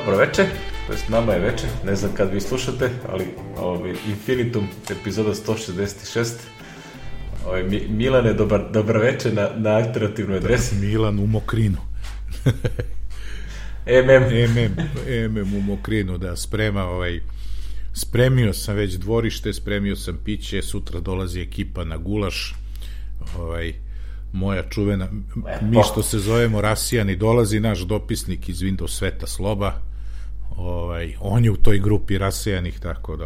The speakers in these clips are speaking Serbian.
Dobro večer, to jest nama je večer, ne znam kad vi slušate, ali Infinitum, epizoda 166. Milane, dobar večer na alternativnoj adresi. Milan u Mokrinu. MM u Mokrinu, da, spremio sam već dvorište, spremio sam piće, sutra dolazi ekipa na gulaš, moja čuvena, mi što se zovemo Rasijani, dolazi naš dopisnik iz Windows sveta Sloba, on je u toj grupi Rasijanih, tako da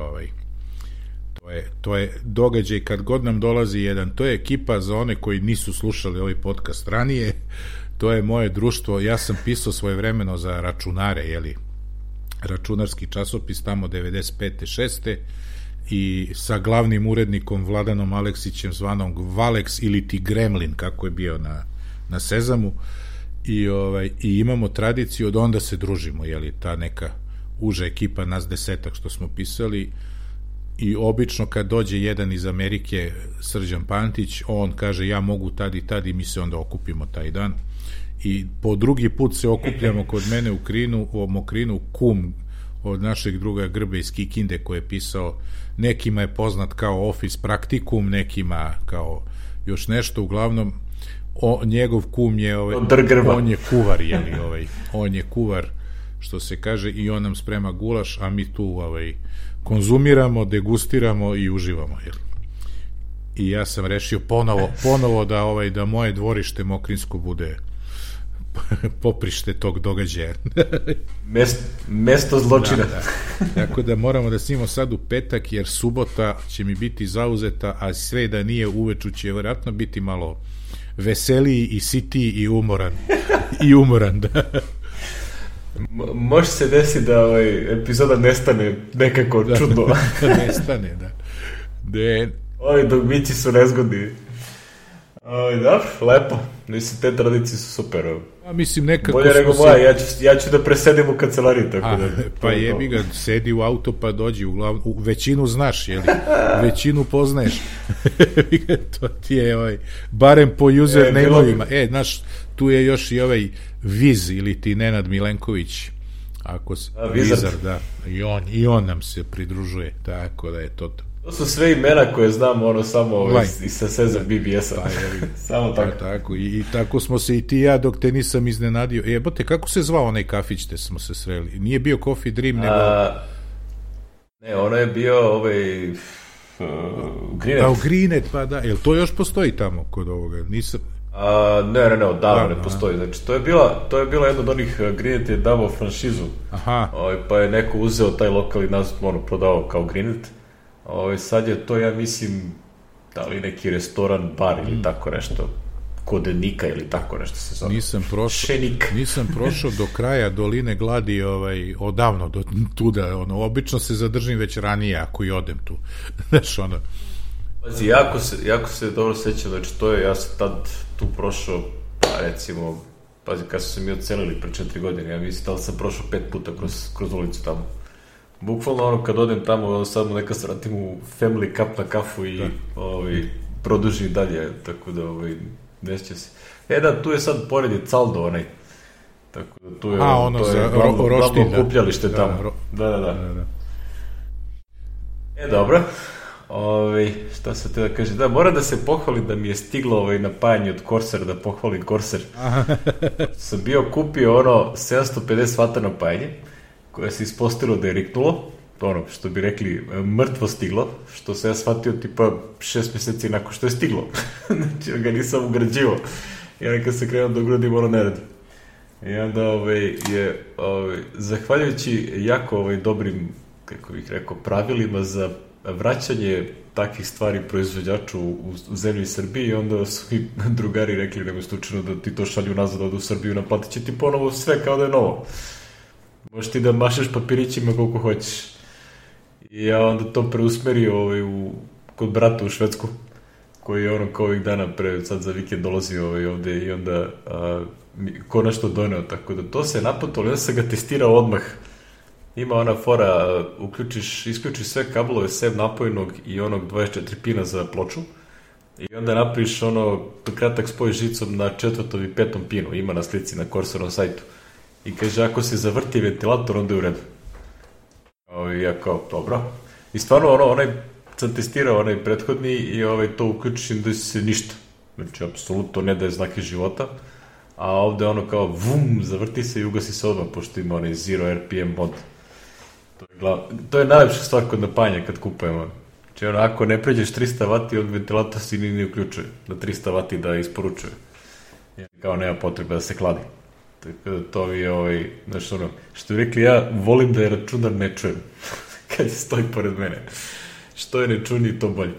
to je događaj kad god nam dolazi jedan, to je ekipa za one koji nisu slušali ovaj podcast ranije, to je moje društvo, ja sam pisao svojevremeno za računare, računarski časopis tamo 95. 6. i sa glavnim urednikom Vladanom Aleksićem zvanom Valex ili ti Gremlin, kako je bio na Sezamu, i imamo tradiciju, od onda se družimo, ta neka uža ekipa, nas 10 što smo pisali, i obično kad dođe jedan iz Amerike, Srđan Pantić, on kaže ja mogu tad i tad, i mi se onda okupimo taj dan i po drugi put se okupljamo kod mene u Mokrinu, kum od našeg druga Grbe iz Kikinde, koji je pisao, nekima je poznat kao Office Practicum, nekima kao još nešto, uglavnom njegov kum je on je kuvar, on je kuvar, što se kaže, i on nam sprema gulaš, a mi tu konzumiramo, degustiramo i uživamo, i ja sam rešio ponovo da moje dvorište Mokrinsko bude poprište tog događaja. Mesto zločina. Da. Tako da moramo da snimamo sad u petak, jer subota će mi biti zauzeta, a sve da nije, uveču će vjerojatno biti malo veseliji i sitiji i umoran, da. Može se desiti da epizoda nestane nekako čudno. Nestane, da. Ovi dogmići su nezgodni. Dobro, lepo. Mislim, te tradicije su super. Mislim, nekako bolje nego moja, ja ću da presedim u kancelariji, tako da. Pa jebi ga, sedi u auto pa dođi, većinu znaš, većinu poznaješ. To ti je, barem po username-ovima. Znaš, tu je još i Viz, ili ti Nenad Milenković, Vizar, da, i on nam se pridružuje, tako da je to. To su sve imena koje znam, samo iz Sezam BBS-a. Samo tako. I tako smo se i ti ja, dok te nisam iznenadio. Jebote, kako se zvao onaj kafić te smo se sreli? Nije bio Coffee Dream, nego... Ne, ono je bio Greenet. Greenet, pa da. Jel to još postoji tamo kod ovoga? Nisam... Ne, odavno ne postoji. Znači, to je bilo jedno od onih, Greenet je davao franšizu. Aha. Pa je neko uzeo taj lokalni naziv, prodao kao Greenet. Sad je to, ja mislim, da li neki restoran, bar ili tako nešto, kod Nika ili tako nešto se zove. Nisam prošao do kraja Doline gladi odavno do tuda, obično se zadržim već ranije ako i odem tu. Znaš, Pazi, jako se dobro sećam, znači to je, ja sam tad tu prošao, recimo, kad su se mi odselili pre 4 godine, ja mislim da sam prošao 5 puta kroz ulicu tamo. Bukvalno kad odem tamo, samo neka se vratim u Family Cup na kafu i produžim dalje, tako da neće se. Da, tu je sad pored je Caldo tako da tu je glavno okupljalište tamo. Da. Dobro. Šta se te da kaže? Da, moram da se pohvalim da mi je stiglo napajanje od Corsair, da pohvalim Corsair. Sam bio kupio 750 vata napajanje, koje se ispostavilo da je riknulo, što bi rekli, mrtvo stiglo, što se ja shvatio tipa 6 meseci nakon što je stiglo. Znači, ga nisam ugrađivao. I onda kad se krenuo da ugradim, ne radi. I onda je, zahvaljujući jako dobrim, kako bih rekao, pravilima za vraćanje takvih stvari proizvođaču u zemlji Srbiji, i onda su mi drugari rekli, nego slučajno da ti to šalju nazad u Srbiju, naplatit će ti ponovo sve kao da je novo. Možeš ti da mašeš papirićima koliko hoćeš. I ja onda to preusmerio kod brata u Švedsku, koji je kao ovih dana sad za vikend dolazi ovde i onda konačno doneo, tako da to se je naplatilo, ja sam ga testirao odmah. Ima ona fora, isključiš sve kablove sem napojnog i onog 24 pina za ploču, i onda napriš kratak spoj žicom na 4. i 5. pinu, ima na slici na Corsairom sajtu. i kaže, ako se zavrti ventilator, onda je u redu. I ja kao, dobro. I stvarno, onaj sam testirao onaj prethodni i to uključim da se ništa. Znači, apsolutno ne daje znake života. A ovde ono kao, vum, zavrti se i ugasi se odmah, pošto ima onaj Zero RPM mod. To je najlepša stvar kod napajanja kad kupujemo. Znači, ako ne pređeš 300 W, od ventilatora si ne uključuje. Na 300 W da isporučuje. Kao nema potrebe da se hladi. Tako da to je, znači što bi rekli, ja volim da je računar ne čujem. Kad stoji pored mene. Što je ne čuni, to bolje.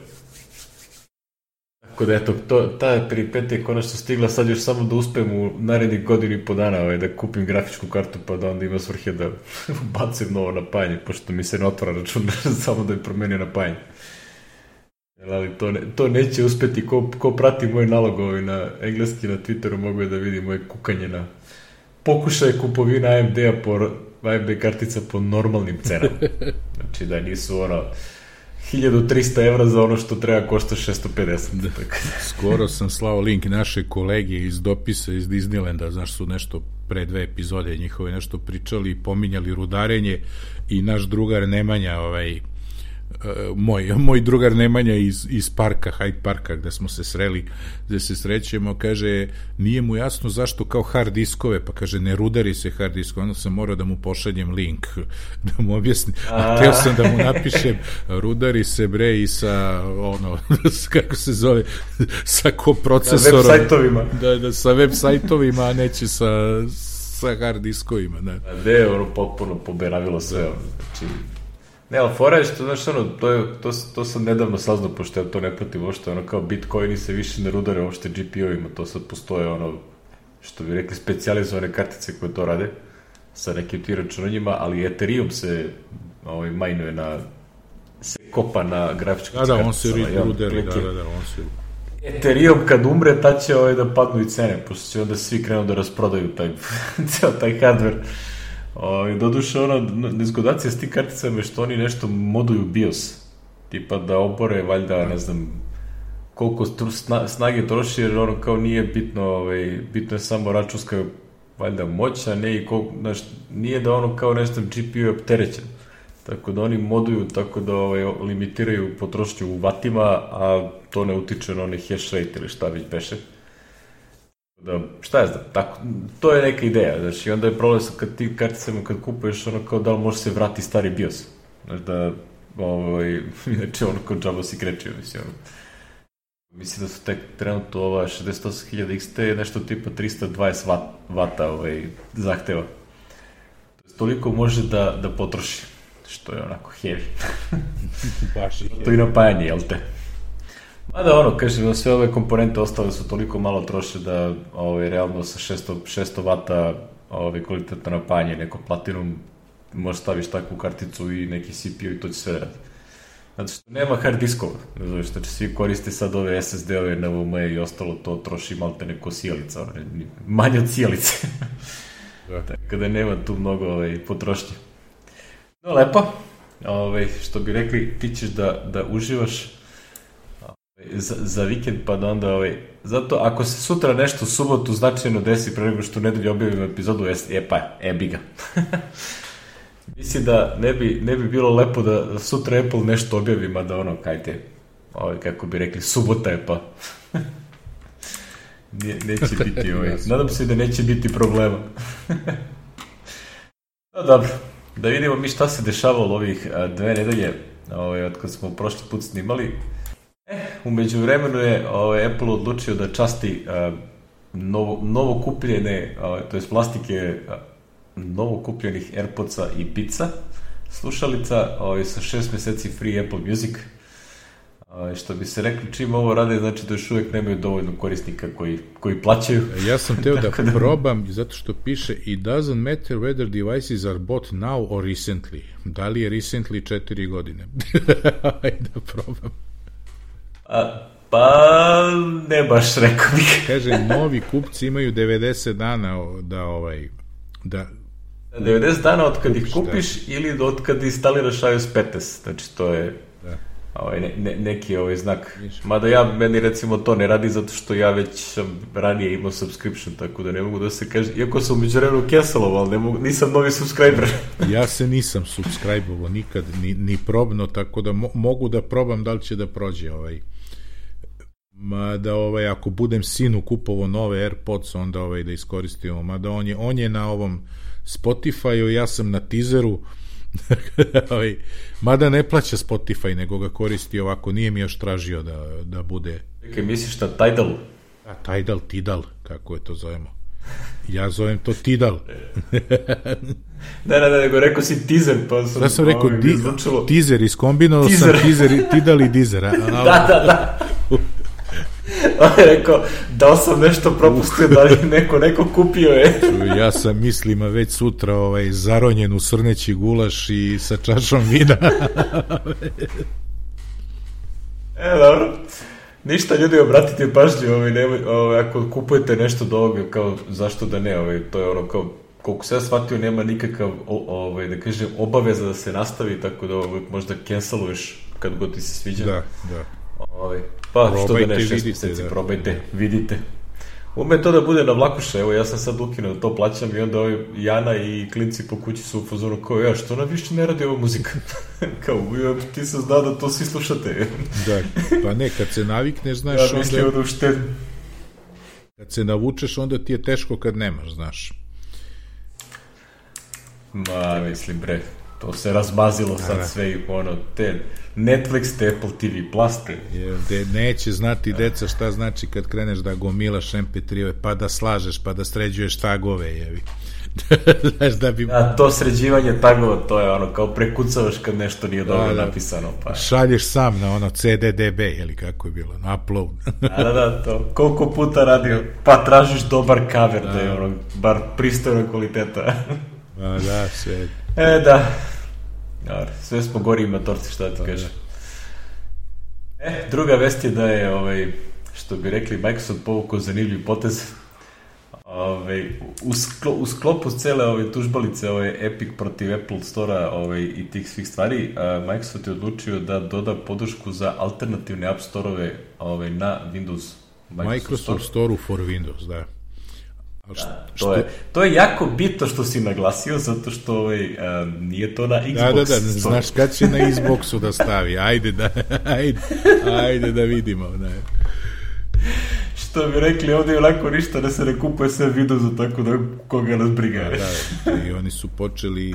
Tako da, eto, ta peripetija je konačno stigla, sad još samo da uspem u narednih godinu i po dana da kupim grafičku kartu, pa da onda ima svrhe da bacim novo napajanje, pošto mi se ne otvara računar, samo da je promenio napajanje. Ali to neće uspeti, ko prati moj nalog na engleski, na Twitteru, mogu je da vidi moje kukanje na pokušaj kupovina AMD kartica po normalnim cenama. Znači da nisu 1300 evra za ono što treba košta 650. Skoro sam slao link naše kolege iz dopisa iz Disneylanda, znaš, su nešto pre 2 epizode njihove nešto pričali i pominjali rudarenje i naš drugar Nemanja, moj drugar Nemanja iz parka, Hyde parka, gde smo se sreli, gde se srećemo, kaže, nije mu jasno zašto kao hard diskove, pa kaže, ne rudari se hard diskove, onda sam morao da mu pošaljem link, da mu objasnim, a teo sam da mu napišem, rudari se bre i sa, kako se zove, sa koprocesorom. Sa web sajtovima. Da, sa web sajtovima, a neće sa hard diskovima. Da. A gde je potpuno poberavilo sve, znači... Ne, ali fora je što, znaš, to sam nedavno saznao, pošto ja to ne pratim uopšte, kao Bitcoini se više ne rudare uopšte GPU-ima, to sad postoje, što bi rekli, specijalizovane kartice koje to rade, sa nekim ti računanjima, ali Ethereum se majnuje se kopa na grafičkih kartica. Da, on se rudari, on se... Ethereum kad umre, tad će da padnu i cene, pošto će onda svi krenu da rasprodaju taj hardware. Doduše, nezgodacija s tim karticama je što oni nešto moduju BIOS, tipa da obore, valjda, ne znam, koliko snage troši, jer kao nije bitno, bitno je samo računska, valjda, moć, a ne i nije da kao nešto GPU je opterećen, tako da oni moduju, tako da limitiraju potrošnju u vatima, a to ne utiče na onaj hash rate ili šta već beše. Da, šta je znam, tako, to je neka ideja, znači, onda je problem kad ti karticama kad kupuješ, kao da li može se vrati stari BIOS, znači da, inače kao džabo si krečio, mislim da su tek trenutno 68.000 XT nešto tipa 320 vata zahteva, toliko može da potroši, što je onako heavy, to i napajanje, jel te? Mada kažem, sve ove komponente ostale su toliko malo troše da realno sa 600 vata kvalitetno napajanje, neko platinum, možeš staviš takvu karticu i neki CPU i to će sve raditi. Zato što nema hard diskova, ne zoveš, znači svi koriste sad ove SSD-ove, NVMe i ostalo, to troši malte neko sijalica, manje od sijalice. Tako da nema tu mnogo potrošnje. No, lepo, što bi rekli, ti ćeš da uživaš za vikend, pa da onda zato ako se sutra nešto u subotu značajno desi pre nego što u nedelju objavimo epizodu, bi ga. Mislim da ne bi bilo lepo da sutra Apple nešto objavi, mada kajte, kako bi rekli, subota je pa. Neće biti nadam se da neće biti problema. No dobro, da vidimo mi šta se dešavalo ovih 2 nedelje od kad smo prošli put snimali. U međuvremenu je Apple odlučio da časti novo kupljene, to je plastike novo kupljenih AirPodsa i Beatsa slušalica sa 6 meseci free Apple Music. Što bi se rekli, čim ovo rade, znači da još uvijek nemaju dovoljno korisnika koji plaćaju. Ja sam teo da probam, zato što piše it doesn't matter whether devices are bought now or recently. Da li je recently 4 godine? Ajde da probam. Pa ne baš, rekao bih. Kaže, novi kupci imaju 90 dana da 90 dana od kad ih kupiš ili od kad instaliraš iOS 15, znači to je neki znak. Mada meni recimo to ne radi zato što ja već sam ranije imao subscription, tako da ne mogu da se kaže, iako sam umeđu vremenu cancelovao, ali nisam novi subscriber. Ja se nisam subscribe-ovao nikad, ni probno, tako da mogu da probam da li će da prođe mada ako budem sinu kupovao nove AirPods, onda da iskoristimo, mada on je na ovom Spotify-u, ja sam na teaseru, mada ne plaća Spotify, nego ga koristi ovako, nije mi još tražio da bude... Kaj misliš na Tidal? Tidal, kako je to zovemo. Ja zovem to Tidal. Ne, nego rekao si teaser, pa sam... Da sam rekao teaser, iskombinovao sam Tidal i Deezer. Da. On je rekao, da sam nešto propustio, da li neko kupio je. Ja sam mislima već sutra zaronjen u srneći gulaš i sa čašom vina. Dobro. Ništa, ljudi, obratite pažnju, ako kupujete nešto do ovoga, kao zašto da ne, to je kao, koliko se ja shvatio, nema nikakav, da kažem, obaveza da se nastavi, tako da možda canceluješ kad god ti se sviđa. Da. Pa, probajte, što da ne, 6 mjeseci, probajte, vidite. Ume to da bude na vlakuša, evo, ja sam sad ukinuo, to plaćam i onda Jana i klinci po kući su u fazonu kao, što nam više ne radi ova muzika? Kao, ti sam znao da to svi slušate. Da, pa ne, kad se navikneš, znaš, onda... Kad se navučeš, onda ti je teško kad nemaš, znaš. Mislim, bre, to se razmazilo sad sve i te Netflix, te Apple TV Plus, te. Neće znati deca šta znači kad kreneš da gomilaš MP3-ove, pa da slažeš, pa da sređuješ tagove, jevi. Znaš da bi... to sređivanje tagova, to je kao prekucavaš kad nešto nije dobro napisano. Pa. Šalješ sam na CDDB, ili kako je bilo, na upload. Da, to. Koliko puta radio, pa tražiš dobar cover, da je bar pristojna kvaliteta. Da, sve. Da. Sve smo gori i matorci, šta ti kažem. Druga vest je da je, što bi rekli, Microsoft povukao zanimljiv potez. U sklopu cele ove tužbalice, Epic protiv Apple Store-a i tih svih stvari, Microsoft je odlučio da doda podršku za alternativne App Store-ove na Windows. Microsoft Store for Windows, da. To je jako bitno što si naglasio, zato što nije to na Xbox. Da, znaš kad će na Xboxu da stavi, ajde da vidimo. Ne. Što bi rekli, ovdje je onako ništa da se ne kupuje sve Windowsa, tako da koga nas briga. Da, i oni su počeli,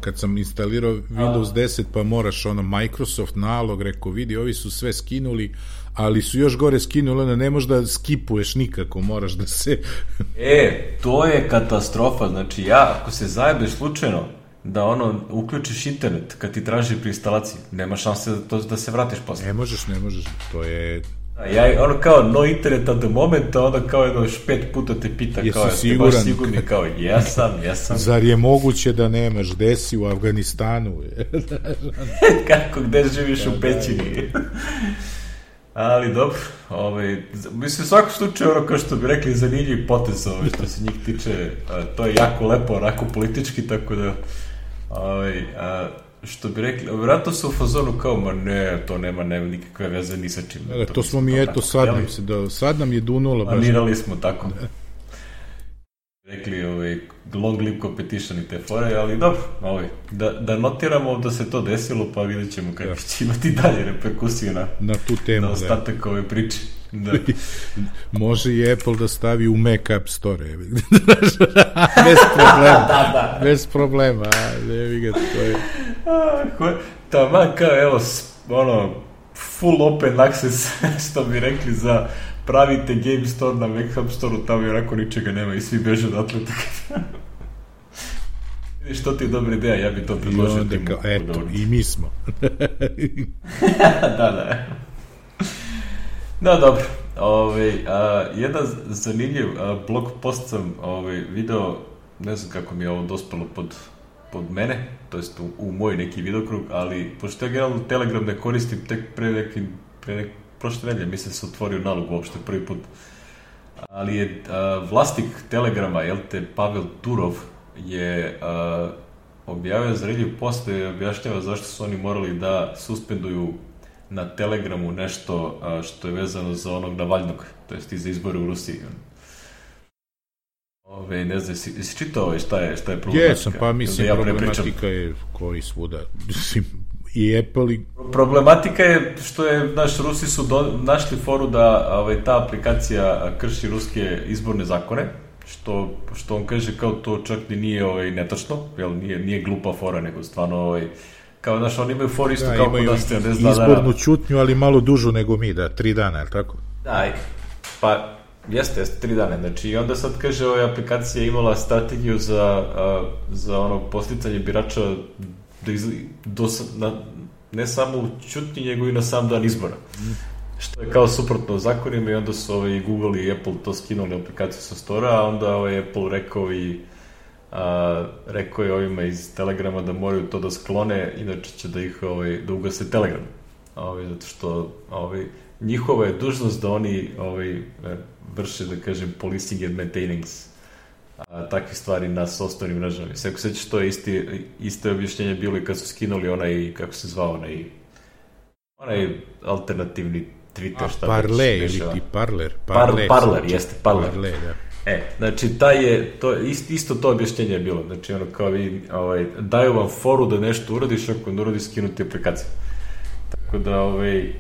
kad sam instalirao Windows 10, pa moraš Microsoft nalog, rekao, vidi, ovi su sve skinuli, ali su još gore skinuli, ne možeš da skipuješ nikako, moraš da se... To je katastrofa, znači ako se zajebeš slučajno da uključiš internet kad ti traži pri instalaciji, nema šanse da se vratiš posle. Ne možeš, to je... Kao no internet at the moment, kao 5 puta te pita, kao jeste baš sigurni, kao jesam. Zar je moguće da nemaš, gde si u Afganistanu? Kako, gde živiš u pećini? Ali dobro, mislim, u svakom slučaju, kao što bi rekli, zanimljiv potez, što se njih tiče, to je jako lepo, onako politički, tako da, što bi rekli, vjerojatno su u fazonu kao, to nema nikakve veze ni sa čim. To smo mi, sad nam je dunulo. Planirali smo tako. Rekli, long live competition i te fore, ali dobro, da notiramo da se to desilo, pa vidjet ćemo kako će imati dalje reperkusije na tu temu. Na ostatak ove priče. Da. Može i Apple da stavi u Mac App Store. Bez problema. Bez problema. To je... Taman kao, full open access, što bi rekli, za pravite Game Store na Mac App Store-u, tamo je onako ničega nema i svi beže odatle. Vidiš, to ti je dobra ideja, ja bi to predložio. I onda kao, eto, i mi smo. Da. No, dobro. Jedan zanimljiv blog post sam video, ne znam kako mi je ovo dospelo pod mene, to jest u moj neki videokrug, ali pošto ja generalno Telegram ne koristim tek prošle nedelje, mislim se otvorio nalog uopšte prvi put, ali je vlasnik Telegrama, Pavel Turov, je objavio zanimljiv post i objašnjava zašto su oni morali da suspenduju na Telegramu nešto što je vezano za onog Navalnog, to jest i za izbore u Rusiji. Ne znam, jesi čitao šta je problematika? Jesam, pa mislim problematika je koji svuda, i Apple i... Problematika je što je, Rusi su našli foru da ta aplikacija krši ruske izborne zakone, što on kaže kao to čak ni nije netačno, jel, nije glupa fora, nego stvarno kao, oni imaju for isto kao kod nas, ne znam, izbornu ćutnju, ali malo dužu nego mi, 3 dana, je li tako? Da, pa jeste, 3 dana, znači, i onda sad kaže, aplikacija je imala strategiju za posticanje birača ne samo u ćutnji, nego i na sam dan izbora. Što je kao suprotno zakonima, i onda su Google i Apple to skinuli aplikaciju sa stora, a onda Apple rekao je ovima iz Telegrama da moraju to da sklone, inače će da ugase Telegram. Zato što njihova je dužnost da oni vrše, da kažem, policing and maintaining takve stvari na osnovnim mrežama. Sve ako sećaš, to je isto objašnjenje bilo i kad su skinuli onaj, kako se zvao, onaj alternativni Twitter, šta Parle, ili ti Parler. Parler, jeste, Parler. Parle, da. Znači, isto to objašnjenje je bilo. Znači, kao vi, daju vam foru da nešto uradiš, ako ne uradiš, skinuti aplikaciju. Tako da,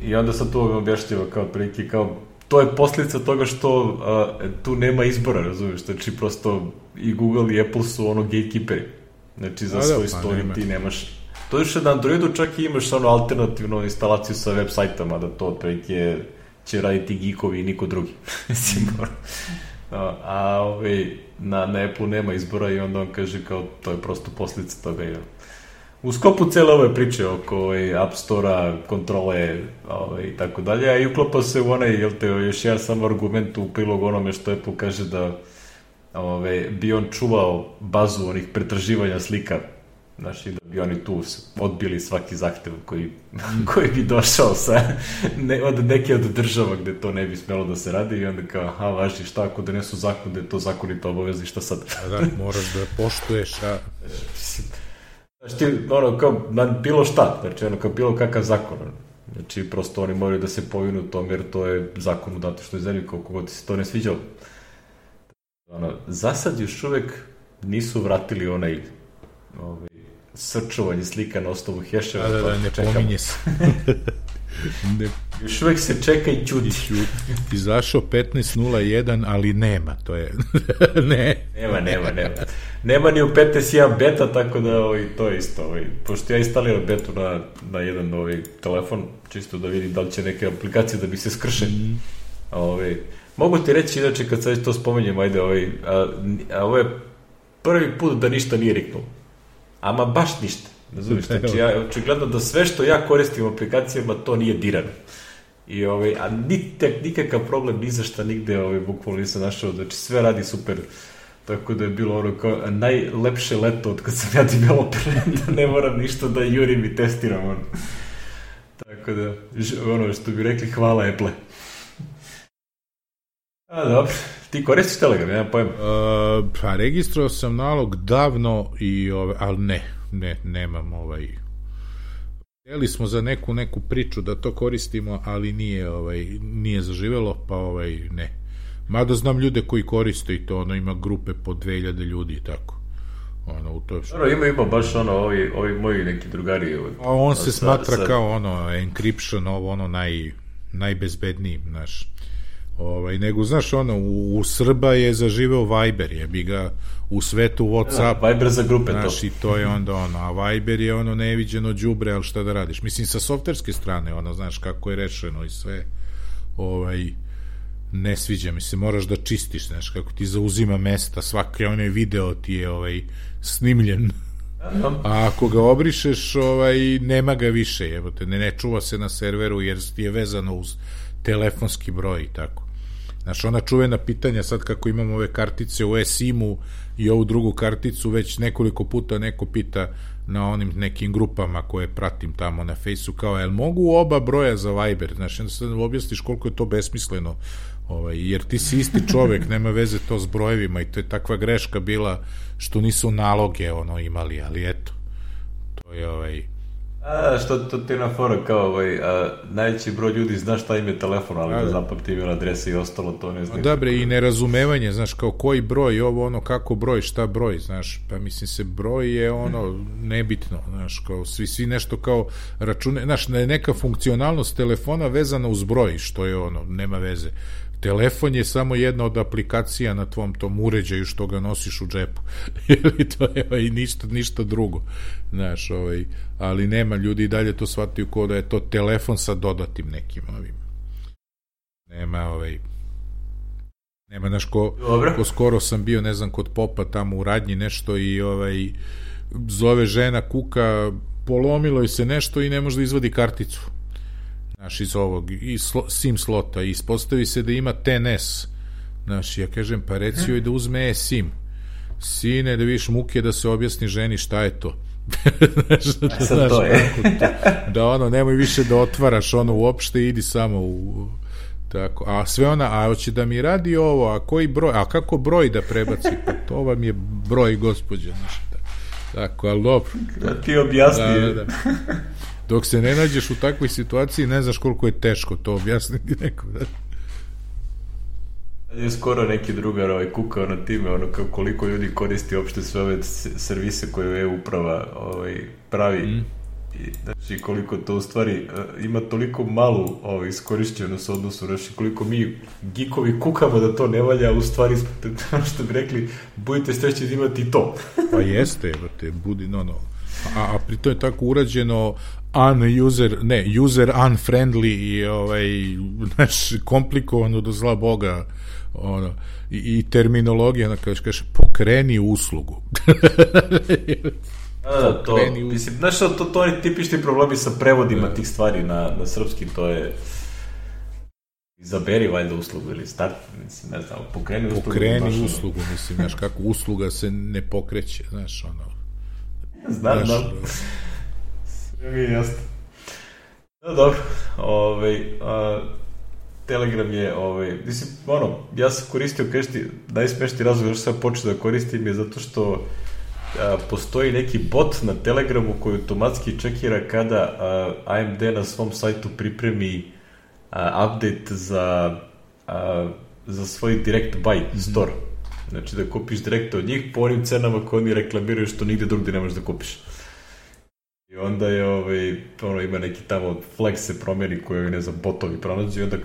i onda sad tu objašnjava kao prilike, kao, to je posljedica toga što tu nema izbora, razumiješ, znači prosto i Google i Apple su gatekeeperi, znači za svoj story ti nemaš. To je što na Androidu čak i imaš alternativnu instalaciju sa web sajtama, da to otprilike će raditi geekovi i niko drugi. Na Apple nema izbora, i onda on kaže kao to je prosto posljedica toga. U sklopu cele ove priče oko App Store-a, kontrole i tako dalje, a i uklapa se u još jedan samo argument u prilog onome što Apple kaže da bi on čuvao bazu onih pretraživanja slika, znači da bi oni tu odbili svaki zahtev koji bi došao od neke od država gde to ne bi smelo da se radi, i onda kao, važi, šta ako donesu zakon da je to zakonito obavezni, šta sad? Da, moraš da poštuješ, Znači, kao na bilo šta, znači, kao bilo kakav zakon, znači, prosto oni moraju da se povinu tom, jer to je zakon u datoj što je zemlji, koliko god se to ne sviđalo. Za sad još uvek nisu vratili srčovanje slika na osnovu heševa. Da, ne pominje se. Još uvek se čeka i ćuti. Izašao 15.01, ali nema, to je... Nema. Nema ni u 15.1 beta, tako da to je isto. Pošto ja instaliram betu na jedan telefon, čisto da vidim da li će neke aplikacije da bi se skrše. Mogu ti reći, inače, kad sad to spomenjem, ovo je prvi put da ništa nije riknulo. Ama baš ništa. Znači, očigledno da sve što ja koristim u aplikacijama, to nije dirano. A nikakav problem ni za šta nigde bukvalno nisam našao, znači sve radi super. Tako da je bilo kao najlepše leto od kad sam ja developer, da ne moram ništa da jurim i testiram. Tako da, što bi rekli, hvala Apple. Dobro, ti koristiš Telegram, nemam pojma. Pa registrao sam nalog davno, ali nemam htjeli smo za neku priču da to koristimo, ali nije zaživelo, pa ne. Mada znam ljude koji koriste i to, ima grupe po 2000 ljudi i tako. Ima baš ovi moji neki drugari. A on se smatra kao encryption, najbezbedniji, znaš. Nego, znaš, u Srba je zaživeo Viber, jebi ga, u svetu WhatsApp. Viber za grupe, znaš, i to je onda a Viber je neviđeno đubre, ali šta da radiš? Mislim, sa softverske strane, znaš, kako je rešeno i sve, ne sviđa mi se, moraš da čistiš, znaš, kako ti zauzima mesta, svaki video ti je snimljen, a ako ga obrišeš, nema ga više, jebote, ne čuva se na serveru jer ti je vezano uz telefonski broj i tako. Znaš, ona čuvena pitanja sad kako imamo ove kartice u eSIM-u i ovu drugu karticu, već nekoliko puta neko pita na onim nekim grupama koje pratim tamo na Fejsu, kao, jel mogu oba broja za Viber? Znaš, onda sad objasniš koliko je to besmisleno, jer ti si isti čovek, nema veze to s brojevima, i to je takva greška bila što nisu naloge imali, ali eto, to je Što to ti je na fora kao najveći broj ljudi zna šta im je telefon, ali da zapamti email adrese i ostalo to ne znam. Dobre, i nerazumevanje, znaš, kao koji broj, ovo ono, kako broj, šta broj, znaš, pa mislim se broj je ono nebitno, znaš, kao svi nešto kao račune, znaš, neka funkcionalnost telefona vezana uz broj, što je ono, nema veze. Telefon je samo jedna od aplikacija na tvom tom uređaju što ga nosiš u džepu. To je ništa drugo. Znaš, ali nema, ljudi i dalje to shvataju kao da je to telefon sa dodatim nekim ovim. Nema, znaš, ko skoro sam bio, ne znam, kod popa tamo u radnji nešto i zove žena, kuka, polomilo je se nešto i ne može da izvadi karticu. Znaš, iz ovog, iz SIM slota, i ispostavi se da ima TNS. Znaš, ja kažem, pa reci joj da uzme SIM. Sine, da vidiš muke da se objasni ženi šta je to. Znaš, to je. Da ono, nemoj više da otvaraš ono uopšte, idi samo u... Tako, a sve ona, a hoće da mi radi ovo, a koji broj, a kako broj da prebaci, pa to vam je broj, gospođe, znaš, tako, ali dobro. Da ti objasni. Da. Dok se ne nađeš u takvoj situaciji, ne znaš koliko je teško to objasniti nekom, da. Je skoro neki drugar kukao na time, kao koliko ljudi koristi uopšte sve ove servise koje e-uprava pravi. I, znači, koliko to u stvari ima toliko malu iskorišćenost odnosu, znači koliko mi geekovi kukamo da to ne valja, u stvari što bi rekli, budite srećni da imati to. Pa jeste, budi, a pritom je tako urađeno user unfriendly i znaš, komplikovano do zla Boga, i terminologija, kaže pokreni uslugu. To, mislim, znaš, to je tipični problemi sa prevodima tih stvari na srpski, to je izaberi valjda uslugu ili start, mislim, ne znam, pokreni uslugu, mislim, znaš, kako usluga se ne pokreće, znaš, znam. Sve mi je jasno. No, dobro, Telegram je, mislim, ja sam koristio, kažete, najsmešniji razlog što sam počeo da koristim je zato što postoji neki bot na Telegramu koji automatski čekira kada AMD na svom sajtu pripremi update za svoj direct buy store. Znači da kupiš direkt od njih po onim cenama koje oni reklamiraju što nigde drugdje ne možeš da kupiš. I onda je, ima neki tamo flag se promjeri koji, ne znam, botovi pronađu i onda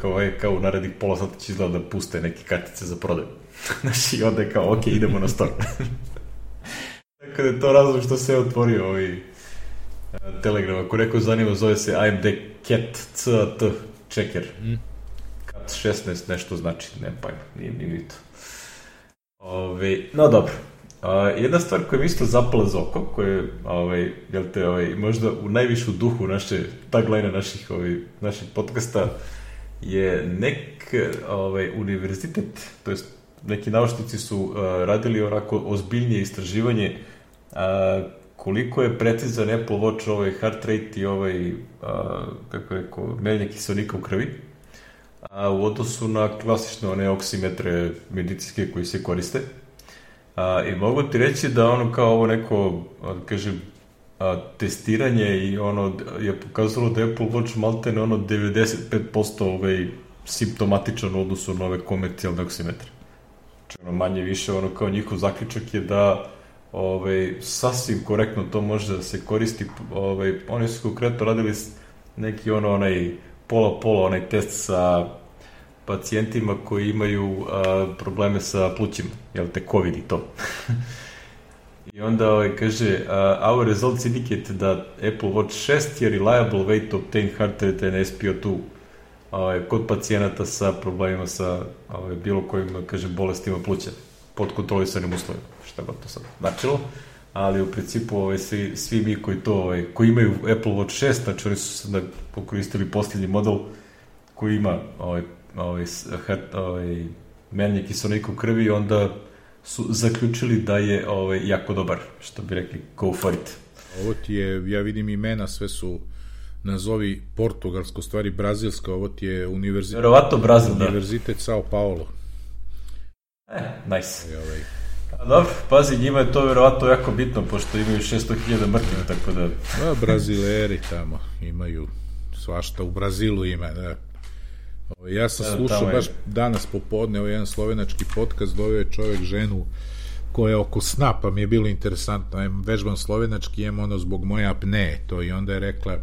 kao u narednih pola sata će izgleda da puste neke kartice za prodaju. Znači, i onda je kao, ok, idemo na store. Tako da je to razlog što se je otvorio Telegram. Ako neko zanima, zove se AMD CAT checker. CAT 16 nešto znači, ne pojma, nije to. No dobro. Jedna stvar koja mi isto zapala za oko, koja je, možda u najvišu duhu naše tagline naših podcasta, je univerzitet, to jest neki naučnici su radili onako ozbiljnije istraživanje koliko je precizan Apple Watch heart rate i kako je rekao, merenje kiseonika u krvi, u odnosu na klasične one oksimetre medicinske koji se koriste. I mogu ti reći da kao ovo neko, kažem, testiranje i je pokazalo da Apple Watch maltene 95% simptomatičan u odnosu na ove komercijalne oksimetre. Znači, manje više, kao njihov zaključak je da sasvim korektno to može da se koristi. Oni su konkretno radili neki pola onaj test sa pacijentima koji imaju probleme sa plućima, jel te COVID i to. I onda kaže, our results indicate that Apple Watch 6 je reliable way to obtain heart rate and SpO2 kod pacijenata sa problemima sa bilo kojim, kaže, bolestima pluća pod kontrolisanim uslovima, šta god to sad značilo, ali u principu svi mi koji imaju Apple Watch 6, znači oni su sada pokoristili posljednji model koji ima merenje kiseonika u krvi, onda su zaključili da je jako dobar, što bi rekli, go for it. Ovo ti je, ja vidim imena, sve su nazovi portugalsko, stvari brazilsko, ovo ti je univerzitet. Verovatno Brazil, univerzitet Sao Paulo. Nice. Dobro, pazi, njima je to verovatno jako bitno, pošto imaju 600.000 mrtvih, tako da... Da, Brazileri tamo imaju svašta, u Brazilu ima, da. Ja sam slušao baš danas popodne jedan slovenački podcast, doveo je čovjek ženu koja je oko sna, pa mi je bilo interesantno, vežbam slovenački, jem ono zbog moje apneje, to i onda je rekla,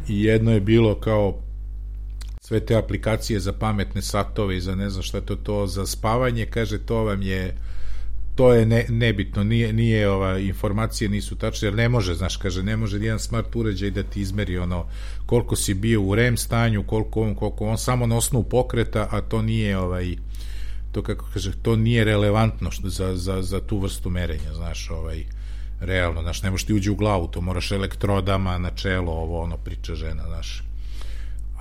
i jedno je bilo kao sve te aplikacije za pametne satove i za ne znam šta to za spavanje, kaže, to je nebitno, nije informacije nisu tačne, jer ne može, znaš, kaže, ne može jedan smart uređaj da ti izmeri ono koliko si bio u REM stanju, koliko on samo na osnovu pokreta, a to nije to kako kaže, to nije relevantno za tu vrstu merenja, znaš, realno, znaš, ne možeš ti uđe u glavu, to moraš elektrodama na čelo, ono priča žena, znaš.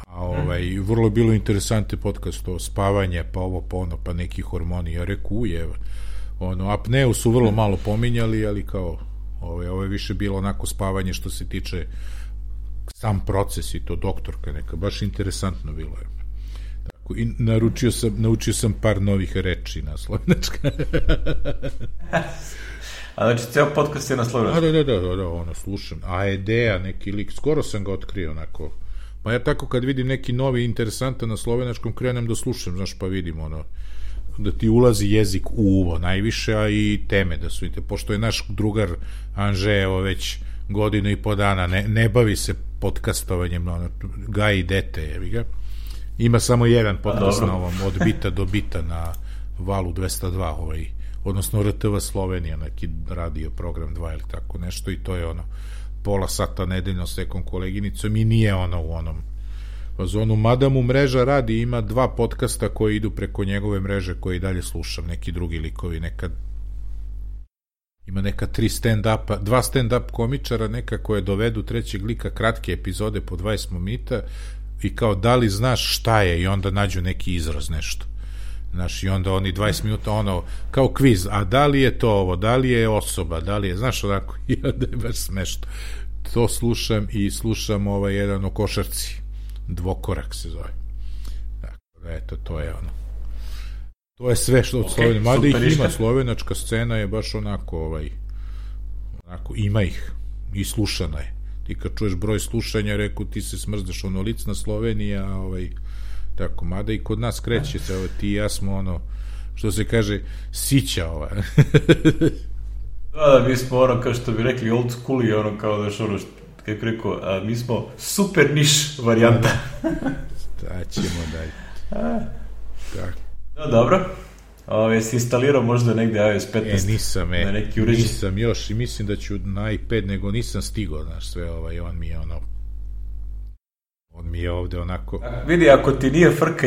A vrlo je bilo interesantno podcast, to spavanje, pa ovo, pa ono, pa neki hormoni, ja reku, apneu su vrlo malo pominjali, ali kao ovo je više bilo onako spavanje što se tiče sam proces i to doktorka neka, baš interesantno bilo je. Tako, i naučio sam par novih reči na slovenačka. A znači, ceo podcast je na slovenačka? Da, ono, slušam. AED-a, neki lik, skoro sam ga otkrio, onako. Pa ja tako kad vidim neki novi interesantan na slovenačkom, krenem da slušam, znaš, pa vidim, ono, da ti ulazi jezik u uvo najviše, a i teme da su, pošto je naš drugar Anže, evo već godinu i po dana, ne bavi se podcastovanjem, gaji dete, jevi ga. Ima samo jedan podcast na ovom, od bita do bita na valu 202, odnosno RTV Slovenija, neki radio program 2 ili tako nešto, i to je ono, pola sata nedeljno s nekom koleginicom i nije ono u onom zonu, mada mu mreža radi, ima 2 podcasta koji idu preko njegove mreže koje i dalje slušam, neki drugi likovi, ima neka 2 stand-up komičara, neka koje dovedu trećeg lika, kratke epizode po 20 minuta i kao da li znaš šta je, i onda nađu neki izraz, nešto, znaš, i onda oni 20 minuta ono, kao kviz, a da li je to ovo, da li je osoba, da li je, znaš, onako, i onda je baš smešno. To slušam i slušam jedan o košarci, Dvokorak se zove. Tako da, eto, to je ono. To je sve što od Slovenije. Mada ih ima, slovenačka scena je baš onako, ima ih i slušana je. Ti kad čuješ broj slušanja, reku, ti se smrzdeš ono lic na Sloveniji, a tako, mada i kod nas kreće se, ti i ja smo ono, što se kaže, sića Da, mi smo ono, kao što bi rekli, old school i ono, kao da što ono, kako rekao, mi smo super niš varijanta. Da ćemo dalje. Tako. No, dobro. Jesi instalirao možda negde iOS 15? Nisam, na neki uređaj? Nisam još i mislim da ću na iPad, nego nisam stigao, znaš, sve on mi je ovde onako... Vidi, ako ti nije frka,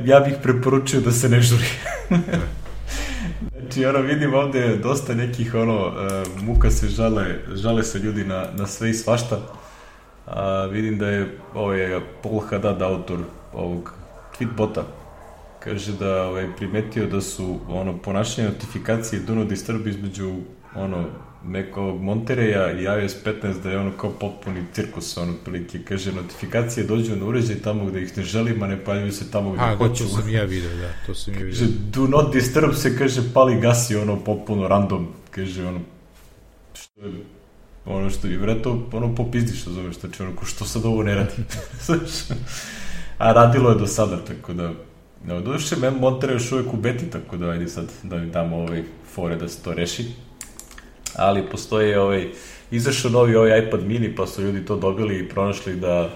ja bih preporučio da se ne žuri. Znači, vidim ovde dosta nekih, muka se žale se ljudi na sve i svašta. Vidim da je Paul Haddad, autor ovog tweetbota, kaže da primetio da su ponašanje notifikacije do not disturb između nekog Montereja i iOS 15, da je kao potpuni cirkus, prilike, kaže, notifikacije dođu na uređaj tamo gde ih ne želim, a ne paljuju se tamo gde hoću. To sam ja vidio, da, to sam ja vidio. Kaže, do not disturb se, kaže, pali gasi, potpuno random, kaže, što je, vjerojatno, popizdi, što zoveš, znači, što sad ovo ne radi. A radilo je do sada, tako da, doduše, Monterey još uvijek u beti, tako da, ajde sad, da mi damo fore da se to reši. Ali postoji izašao novi iPad mini, pa su ljudi to dobili i pronašli da,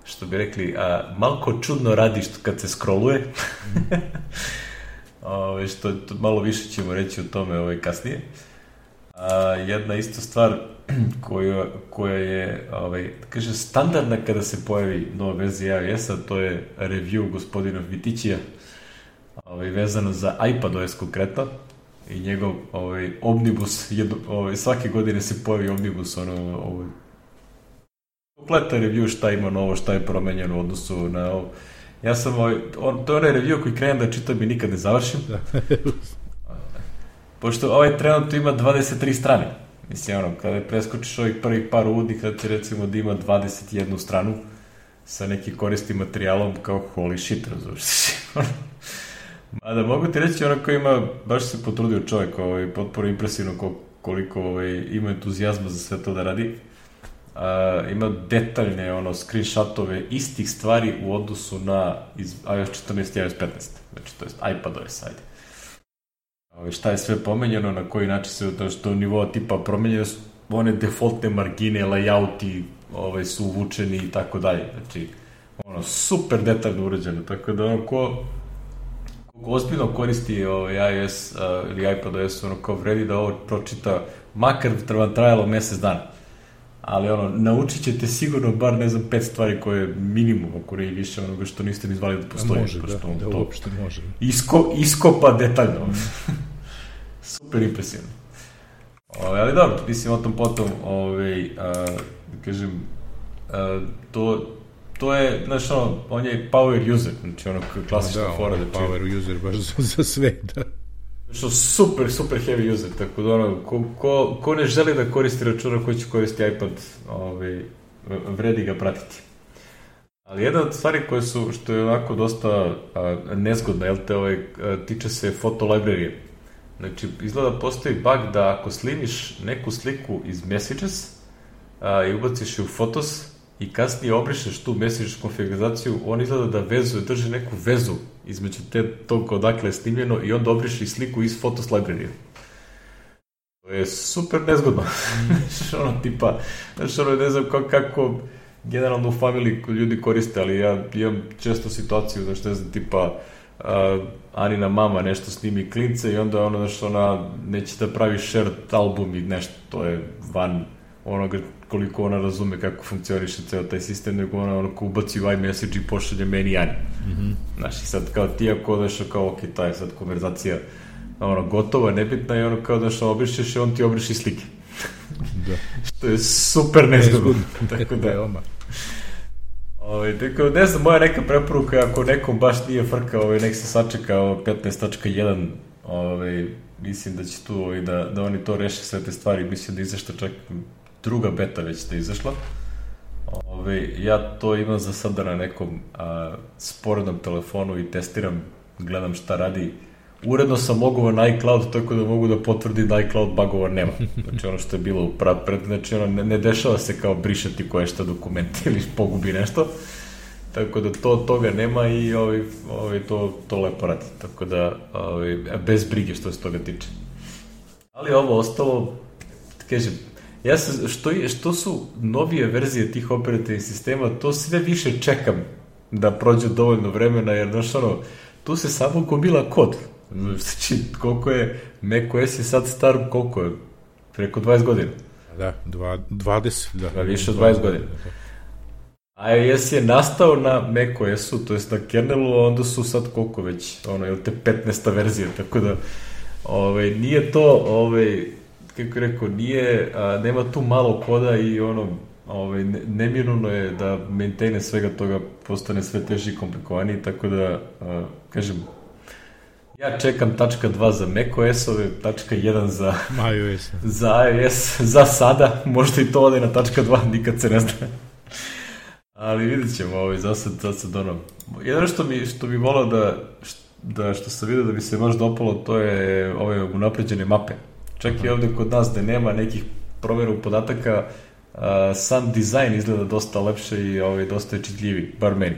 što bi rekli, malko čudno radi kad se scrolluje. Što malo više ćemo reći o tome kasnije. Jedna isto stvar koja je, kaže, standardna kada se pojavi nova verzija iOS-a, to je review gospodina Vitićija, vezano za iPadOS konkretno. I njegov omnibus, svake godine se pojavi omnibus, kompletan review šta ima novo, šta je promenjeno u odnosu na ovo. Ja sam, to je onaj review koji krenem da čitam i nikad ne završim. Pošto trenutno ima 23 strane. Mislim, kada preskočiš ovih prvih par uvodnih, kada ti recimo da ima 21 stranu sa nekim korisnim materijalom, kao holy shit, razumiješ. A da mogu ti reći, onako ima, baš se potrudio čovjek, potpuno impresivno koliko ima entuzijazma za sve to da radi. Ima detaljne screenshotove istih stvari u odnosu na iOS 14 i iOS 15. Znači, to je iPadOS, ajde. Šta je sve pomenjeno, na koji način se do nivoa tipa promenjeno su one defaultne margine, layouti su uvučeni i tako dalje. Znači, super detaljno urađeno, tako da ko ozbiljno koristi iOS ili iPadOS, kao vredi da ovo pročita, makar vam trajalo mesec dana. Ali naučit ćete sigurno bar, ne znam, 5 stvari koje je minimum, ako ne i više onoga što niste ni zvali da postoji. Može, da uopšte može. Iskopa detaljno. Super impresivno. Ali dobro, mislim o tom potom, kažem, to je, znaš, on je power user, znači klasična fora. Da, power user baš za sve, da. Što super heavy user, tako da ko ne želi da koristi računa, ko će koristi iPad, vredi ga pratiti. Ali jedna od stvari koje su, što je onako dosta nezgodna, jel te, tiče se foto library. Znači, izgleda postoji bug da ako slimiš neku sliku iz Messages i ubaciš je u Photos i kasnije obrišeš tu Messages konfiguraciju, on izgleda da drži neku vezu između tog odakle je snimljeno i onda obriši sliku iz Photos library. To je super nezgodno. Tipa, ne znam kako generalno u familiji ljudi koriste, ali ja imam često situaciju, ne znam, tipa Anina mama nešto snimi klince i onda ona neće da pravi shared album i nešto, to je van onoga koliko ona razume kako funkcioniše ceo taj sistem, nego ona ubaci u iMessage i pošalje meni i Ani. Znaš, i sad kao ti ako odeš kao, ok, ta je sad konverzacija gotova, nebitna i kao da što obrišeš i on ti obriši slike. Da. Što je super nezgodno. Tako da je tako, ne znam, moja neka preporuka, ako nekom baš nije frka, nek se sačeka 15.1, mislim da će tu da oni to reše sve te stvari, mislim da izašla čak druga beta već da izašla. Ja to imam za sada na nekom sporednom telefonu i testiram, gledam šta radi. Uredno sam logovan na iCloud, tako da mogu da potvrdim da iCloud bugova nema. Znači ono što je bilo znači ne dešava se kao brišati koje šta dokumente ili pogubi nešto. Tako da toga nema i to lepo radi. Tako da bez brige što se toga tiče. Ali ovo ostalo, kažem, što su novije verzije tih operativnih sistema, to sve više čekam da prođe dovoljno vremena, jer tu se samo gomila kod. Znači, koliko je macOS je sad star, koliko je? Preko 20 godina. Da, 20. Da, više od 20 godina. iOS je nastao na macOS-u, to jest na kernelu, a onda su sad koliko već, te 15. verzija, tako da nije to, kako rekao, nema tu malo koda i nemirno je da maintaine svega toga postane sve teži i komplikovaniji, tako da, kažem, ja čekam tačka 2 za macOS-ove, tačka 1 za iOS, za sada, možda i to ode na tačka 2, nikad se ne zna. Ali vidjet ćemo, za sad jedno što bi volao što sam vidio da bi se baš dopalo, to je ove unapređene mape. Čak i ovde kod nas da nema nekih promjera u podataka, sam dizajn izgleda dosta lepše i dosta je čitljiviji, bar meni.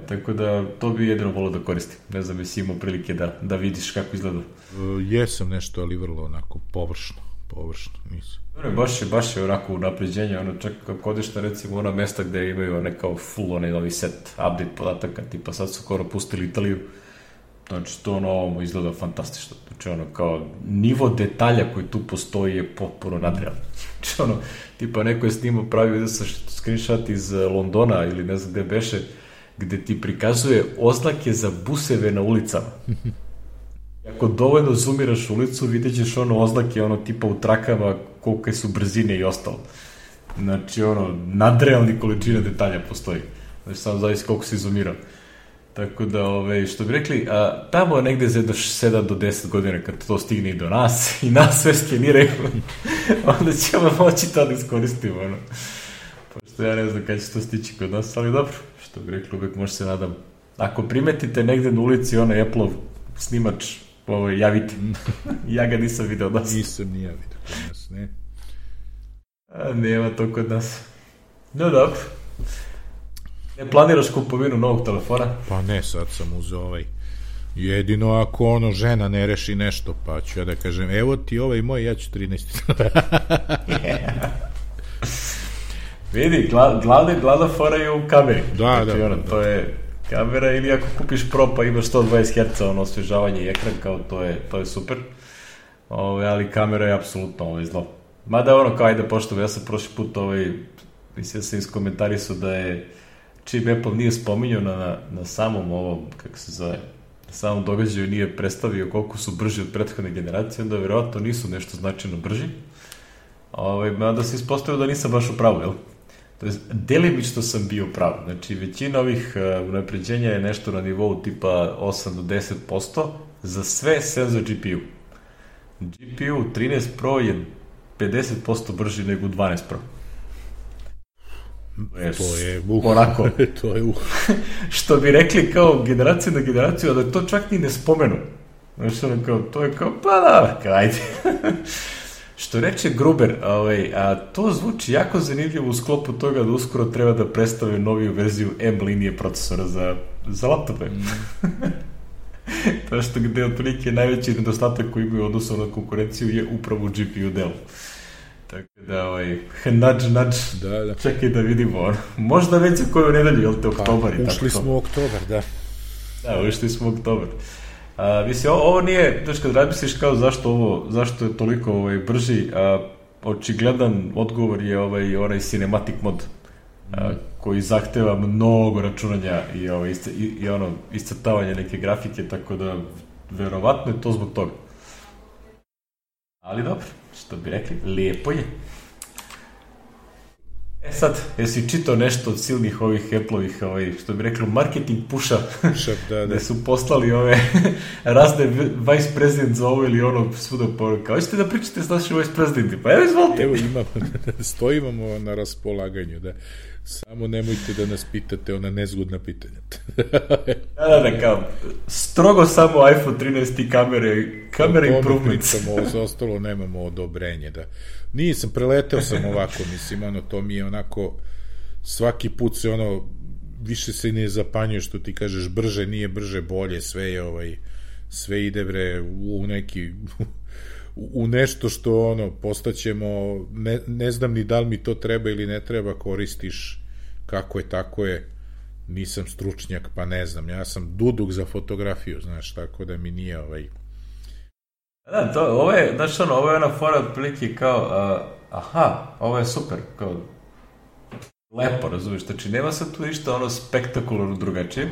Tako da to bi jedino volao da koristim. Ne znam, jesi imao prilike da vidiš kako izgleda. Jesam nešto, ali vrlo onako površno, nisam. Baš je onako unapređenje, čak kako odeš na recimo ona mesta gde imaju nekao full novi set update podataka, tipa sad su skoro pustili Italiju, znači to ovo izgleda fantastično, znači kao nivo detalja koji tu postoji je potpuno nadrealno, znači tipa neko je snimao pravi da sa screenshot iz Londona ili ne znam gde beše, gde ti prikazuje oznake za buseve na ulicama. Ako dovoljno zoomiraš ulicu, vidjet ćeš oznake tipa u trakama kolike su brzine i ostalo. Znači nadrealni količina detalja postoji. Znači samo zavisi koliko si zoomirao. Tako da, što bi rekli, tamo negde za jedno 7 do 10 godina kad to stigne i do nas i nas sve skeniraju, onda ćemo moći to da iskoristimo. Pošto ja ne znam kada će to stići kod nas, ali dobro, što bi rekli, uvek možda se nadam. ako primetite negde na ulici onaj Apple-ov snimač, javite. Ja ga nisam video od nas. Nisam ni ja video kod nas, ne. Nema to kod nas. No dobro. Ne planiraš kupovinu novog telefona? Pa ne, sad sam uzeo jedino ako žena ne reši nešto, pa ću ja da kažem, evo ti moj, ja ću 13. Vidi, glavna fora je u kameri. Da. To je kamera, ili ako kupiš Pro pa imaš 120 Hz osvežavanje i ekran, kao to je super. Ali kamera je apsolutno zlo. Mada kao ajde pošto, ja sam prošli put mislim da sam iskomentarisao da je čim Apple nije spominjao na samom kako se zove, na samom događaju nije predstavio koliko su brži od prethodne generacije, onda verovatno nisu nešto značajno brži. Mada se ispostavio da nisam baš u pravu, jel? To je, delimično sam bio prav. Znači, većina ovih unapređenja je nešto na nivou tipa 8 do 10% za sve sem za GPU. GPU 13 Pro je 50% brži nego 12 Pro. To je onako. To je što bi rekli kao generacija na generaciju, a da to čak ni ne spomenu. Znači, to je kao, pa da, ajde. Što reče Gruber, a to zvuči jako zanimljivo u sklopu toga da uskoro treba da predstave noviju verziju M linije procesora za laptope. To što gde otprilike najveći nedostatak koji imaju odnosno na konkurenciju je upravo GPU delu. Tako da, nudge, da. Čekaj da vidimo. Možda već za koju nedelju, jel te oktobar? Pa, ušli smo u oktobar, da. Da, ušli smo u oktobar. Mislim, ovo nije, znaš, kad razmisliš kao zašto je toliko brži, očigledan odgovor je onaj cinematic mod, koji zahteva mnogo računanja i iscrtavanje neke grafike, tako da verovatno je to zbog toga. Ali dobro, što bi rekli, lijepo je. Sad, jesi čitao nešto od silnih ovih Apple-ovih, što bi rekli, marketing puša, da su poslali razne vice president za ovo ili ono svuda poruka. Hoćete da pričate s našim vice presidenti? Pa evo izvolite. Evo stojimo na raspolaganju, da. Samo nemojte da nas pitate ona nezgodna pitanja. Da, kao, strogo samo iPhone 13 i kamere improvements. Ovo ostalo nemamo odobrenje, da. Nisam, preleteo sam ovako, mislim, to mi je onako, svaki put se više se ne zapanjuje što ti kažeš brže, nije brže, bolje, sve ide u neki, u nešto što postaćemo, ne znam ni da li mi to treba ili ne treba, koristiš kako je, tako je, nisam stručnjak, pa ne znam, ja sam duduk za fotografiju, znaš, tako da mi nije Da, ovo je ona fora otprilike kao, ovo je super, kao, lepo, razumiješ, znači nema sad tu ništa spektakularno drugačije,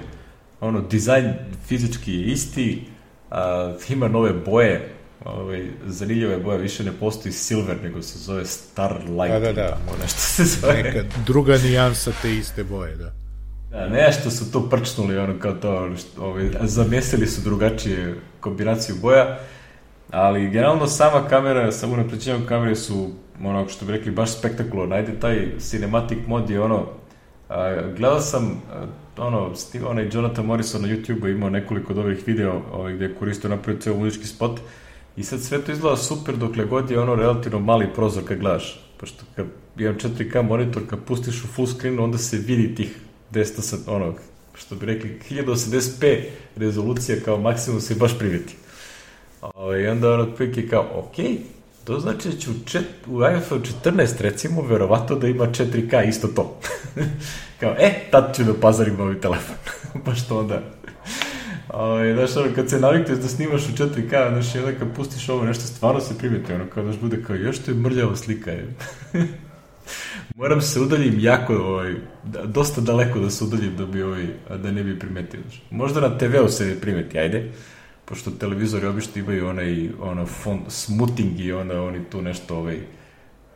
dizajn fizički je isti, ima nove boje, zanimljive boje, više ne postoji silver, nego se zove starlight, nešto se zove. Neka druga nijansa te iste boje, da. Da, nešto su tu prčnuli, kao to, zamesili su drugačije kombinaciju boja, ali generalno sama kamera, samo unapređenjem kamere su, što bi rekli, baš spektakularno. Ajde, taj cinematic mod je gledao sam, onaj Jonathan Morrison na YouTube-u imao nekoliko dobrih video gde je koristio napravio ceo muzički spot i sad sve to izgleda super dokle god je relativno mali prozor kad gledaš, pošto kad imam 4K monitor, kad pustiš u full screenu, onda se vidi tih 10, što bi rekli, 1080p rezolucija kao maksimum se baš primeti. I onda otprilike kao, okej, to znači da će u iPhone 14 recimo verovatno da ima 4K isto to. Kao, tad ću da pazarim novi telefon. Pa što onda? Znaš, kad se navikneš da snimaš u 4K, znaš, onda kad pustiš ovo nešto, stvarno se primeti, kao daš bude kao, još to je mrljava slika. Moram se udaljim jako, dosta daleko da se udaljim da ne bi primetio. Možda na TV-u se ne primeti, ajde. Pošto televizori obično imaju font smoothing i oni tu nešto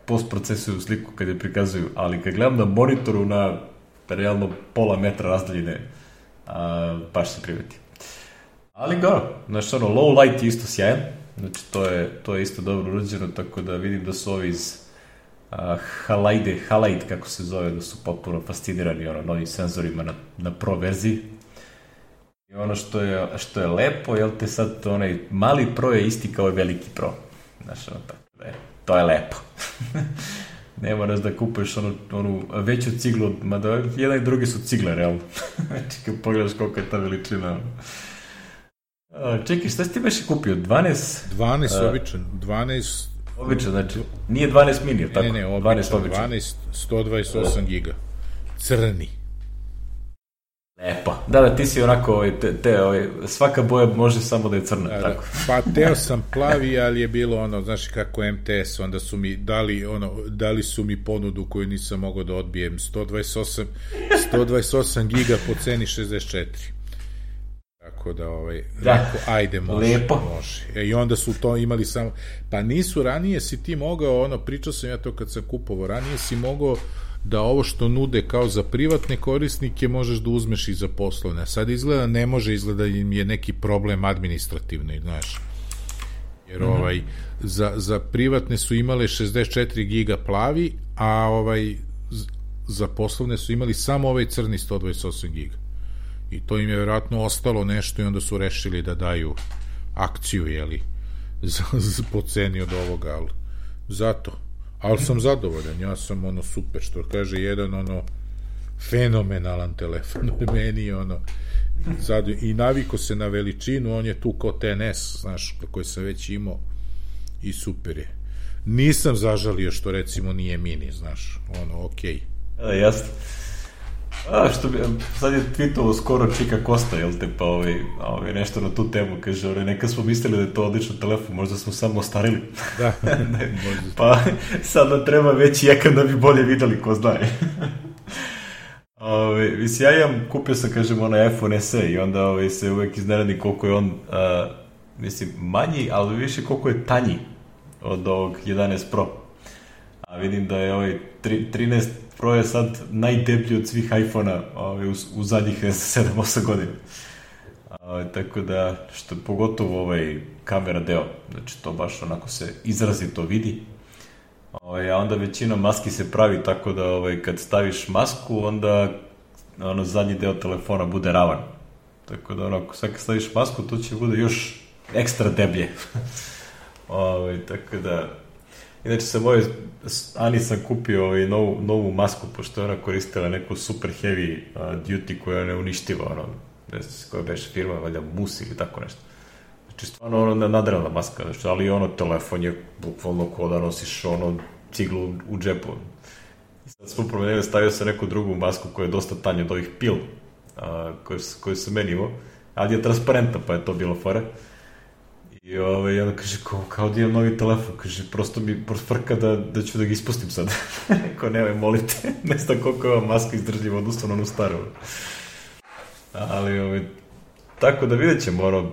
postprocesuju sliku kad je prikazuju, ali kad gledam na monitoru na realno pola metra razdaljine, baš se primeti. Ali znači low light je isto sjajan, znači to je isto dobro urađeno, tako da vidim da su ovi iz Halide, kako se zove, da su potpuno fascinirani novim senzorima na Pro verziji. I ono što je lepo, jel te sad onaj mali Pro je isti kao i veliki Pro. Znaš, ono tako da je, to je lepo. Ne moraš da kupuješ onu veću ciglu, mada jedan i drugi su cigle, realno. Znači, kad pogledaš koliko je ta veličina. Čekaj, šta si ti baš kupio? 12? 12 običan, 12... Običan, znači, nije 12 mini, tako? Ne, običan, 12, 128 giga. Crni. Lepo. Da, ti si onako, svaka boja može samo da je crna, tako? Pa teo sam plavi, ali je bilo ono, znaš kako MTS, onda su mi dali su mi ponudu koju nisam mogao da odbijem, 128 giga po ceni 64. Tako da, rekao, ajde, može. I onda su to imali samo, pa nisu, ranije si ti mogao, pričao sam ja to kad sam kupovao, ranije si mogao da ovo što nude kao za privatne korisnike možeš da uzmeš i za poslovne. A sad ne može, izgleda im je neki problem administrativni, znaš. Jer za privatne su imale 64 giga plavi, a za poslovne su imali samo ovaj crni 128 giga. I to im je vjerojatno ostalo nešto i onda su rešili da daju akciju, jeli, po ceni od ovoga, ali zato. Ali sam zadovoljan, ja sam super, što kaže jedan fenomenalan telefon meni, i naviko se na veličinu, on je tu kao TNS, znaš, koji sam već imao i super je. Nisam zažalio što recimo nije mini, znaš, okej. Jasno. Sad je tweetovo skoro Čika Kosta, jel te, pa nešto na tu temu, kaže, neka smo mislili da je to odličan telefon, možda smo samo ostarili. Da, pa sad nam treba veći ekran da bi bolje videli, ko znaje. Mislim, ja kupio sam, kažem, iPhone SE i onda se uvek iznenadi koliko je on, mislim, manji, ali više koliko je tanji od ovog 11 Pro. A vidim da je 13 Pro je sad najdeblji od svih iPhone-a u zadnjih 7-8 godina. Tako da, što je pogotovo kamera deo, znači to baš onako se izrazito vidi. A onda većina maski se pravi tako da kad staviš masku, onda zadnji deo telefona bude ravan. Tako da sad kad staviš masku, to će bude još ekstra deblje. Tako da... Inače sam Ani sam kupio novu masku, pošto je ona koristila neku super heavy duty koja je neuništiva, ne znam koja beše firma, valjda Mus ili tako nešto. Znači stvarno nadrealna maska, znači, ali telefon je bukvalno kao da nosiš ciglu u džepu. I sad smo promenili, stavio sam neku drugu masku koja je dosta tanja od ovih pil koju sam meni imao, ali je transparentna, pa je to bilo fora. I onda kaže, kao da imam novi telefon, kaže, prosto mi frka da ću da ga ispustim sad. Ko nemoj, molite, ne znam koliko je ova maska izdržljiva, odnosno na onu staru. Ali, tako da vidjet ćemo,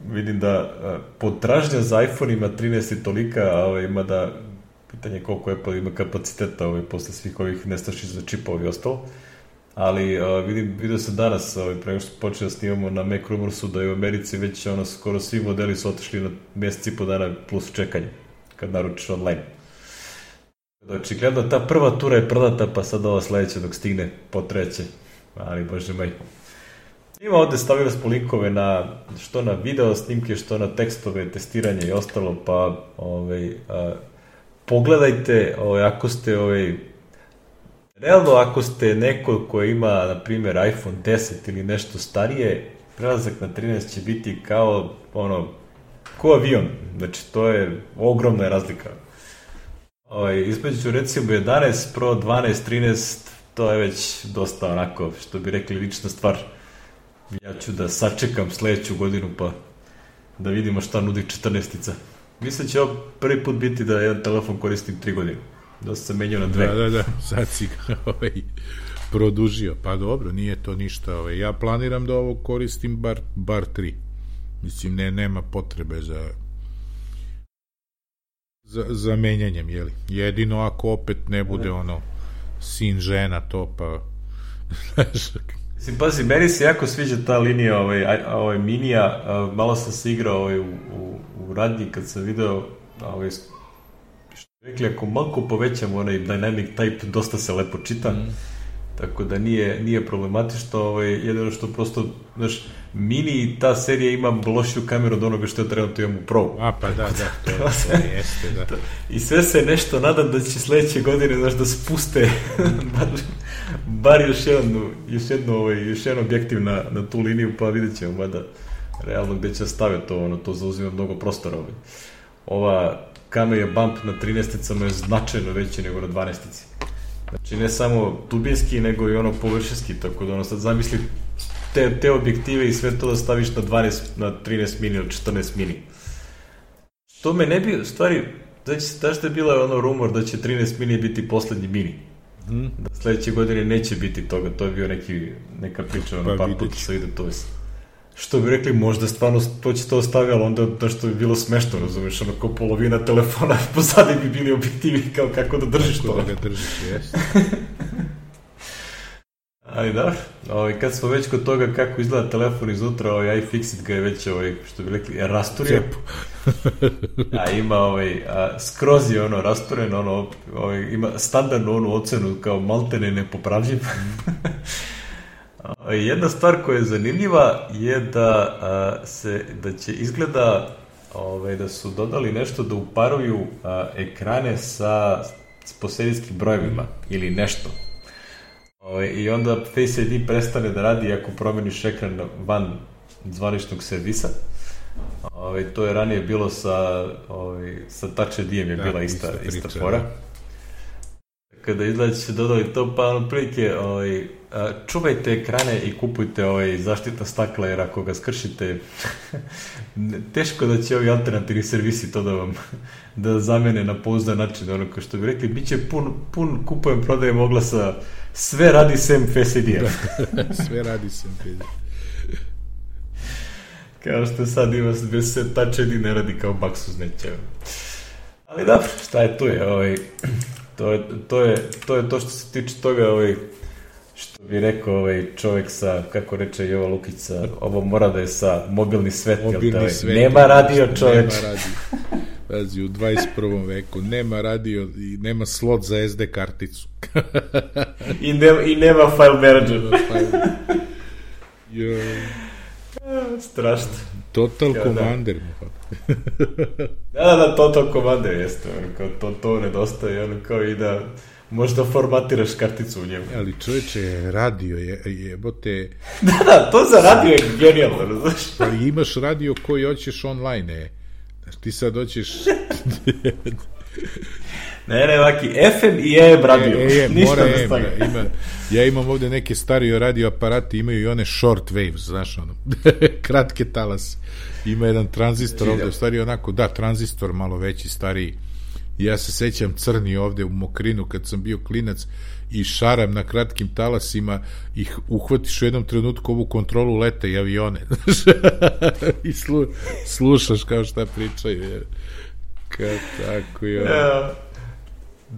vidim da potražnja za iPhone-ima 13 je tolika, ima da, pitanje koliko Apple ima kapaciteta posle svih ovih nestašica za čipova i ostalo. Ali vidio sam danas, prema što počeo da snimamo na Mac Rumorsu, da je u Americi već skoro svi modeli su otišli na mjesec i po dana plus čekanje, kad naručiš online. Očigledno ta prva tura je prodata, pa sad ova sledeća dok stigne potreće, ali bože moj. Ima ovde, stavili smo linkove što na video snimke, što na tekstove, testiranje i ostalo, pa pogledajte, ako ste realno, ako ste neko ko ima, na primjer, iPhone 10 ili nešto starije, prelazak na 13 će biti kao avion. Znači, to je ogromna razlika. Između, recimo, 11 Pro, 12, 13, to je već dosta onako, što bi rekli, lična stvar. Ja ću da sačekam sledeću godinu, pa da vidimo šta nudi 14-ica. Mislim će ovo prvi put biti da jedan telefon koristim 3 godine. Da sam menjao na 2. Da, sad si ga produžio. Pa dobro, nije to ništa. Ja planiram da ovo koristim bar 3. Mislim, nema potrebe za menjanjem, jeli. Jedino ako opet ne bude sin, žena, to pa... Pazi, meni se jako sviđa ta linija minija. Malo sam se igrao u radnji kad sam video što rekli, ako malko povećam onaj dynamic type, dosta se lepo čita. tako da nije problematično, jedino što prosto, znaš, Mini i ta serija ima lošiju kameru od onoga što je trenutno imam u Pro. Pa da, to jeste, da. I sve se nešto nadam da će sledeće godine, znaš, da spuste bar još jedan objektiv na tu liniju, pa vidjet ćemo, mada realno gde će staviti to zauzima mnogo prostora. Ova kamera bump na 13-icama je značajno veći nego na 12-ici. Znači, ne samo dubinski, nego i površinski, tako da sad zamisli te objektive i sve to da staviš na 13 mini ili 14 mini. Što me ne bi, u stvari, znaš da je bila rumor da će 13 mini biti poslednji mini. Da sledeće godine neće biti toga, to je bio neka priča, par puta se ide to. Što bi rekli, možda stvarno to će to ostaviti, ali onda da što bi bilo smešno, razumiješ, ko polovina telefona pozadi bi bili objektivi, kao kako da držiš to. Kako da ga držiš, jeste. Ali da, kad smo već kod toga kako izgleda telefon izutra, iFixit ga je već, što bi rekli, rasturio. A ima, skroz je rasturen, ima standardnu ocenu kao maltene nepopravljiv. Jedna stvar koja je zanimljiva je da će izgleda da su dodali nešto da uparuju ekrane sa poserijskim brojevima ili nešto. I onda Face ID prestane da radi ako promeniš ekran van zvaničnog servisa. To je ranije bilo sa Touch ID-em je bila ista fora. Kada izgleda će se dodali to, pa otprilike čuvajte ekrane i kupujte zaštitna stakla, jer ako ga skršite teško da će ovi alternativni servisi to da zamene na pouzdan način, kao što bi rekli, bit će pun kupujem, prodajem oglasa, sve radi sem Face ID-a. Sve radi sem Face ID-a. Kao što sad ima se Touch ID ne radi kao baksuz neće. Ali dobro, šta je tu je, to je to što se tiče toga, što bi rekao čovjek sa, kako reče Jova Lukica, ovo mora da je sa mobilni svet, nema radio čoveč. Nema radio. Pazi, u 21. veku nema radio i nema slot za SD karticu. I nema file manager. Strašno. Total Commander. Da, Total Commander jeste, to nedostaje, kao i da možda formatiraš karticu u njemu. Ali čovječe, radio jebote... Da, to za radio je genijalno, znaš. Ali imaš radio koji hoćeš online, ti sad hoćeš... Ne, vaki, FM i AM radio. Mora AM, ja imam ovde neke starije radio aparate, imaju i one short waves, znaš, kratke talase. Ima jedan tranzistor ovde, u stvari onako, da, tranzistor malo veći, stariji. Ja se sećam crni ovde u Mokrinu kad sam bio klinac i šaram na kratkim talasima, ih uhvatiš u jednom trenutku ovu kontrolu leta i avione. I slušaš kao šta pričaju. Kao tako je.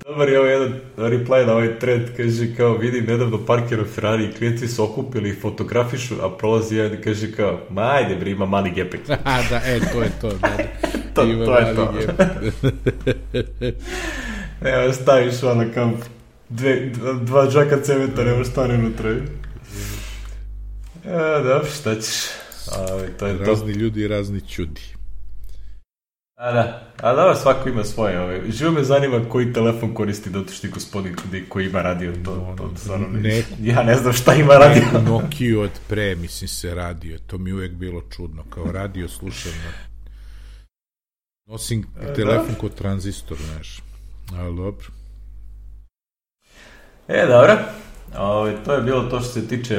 Dobar je jedan reply na ovaj trend, kaže kao, vidim nedavno parkiran Ferrari i klijenti su okupili i fotografišu, a prolazi jedan i kaže kao, ma ajde bre, ima mali gepek. Da, to je to, da. To je to. Evo, staviš kao dva džaka cementa, nemaš stane unutra. Dobro, šta ćeš? To je razni ljudi i razni čudi. A da, svako ima svoje. Živo me zanima koji telefon koristi dotični gospodin koji ima radio. Ja ne znam šta ima radio. Neku Nokiju od pre, mislim se radio. To mi uvek bilo čudno. Kao radio slušam. Nosim telefon kod tranzistor, znaš. Ali dobro. Dobro. To je bilo to što se tiče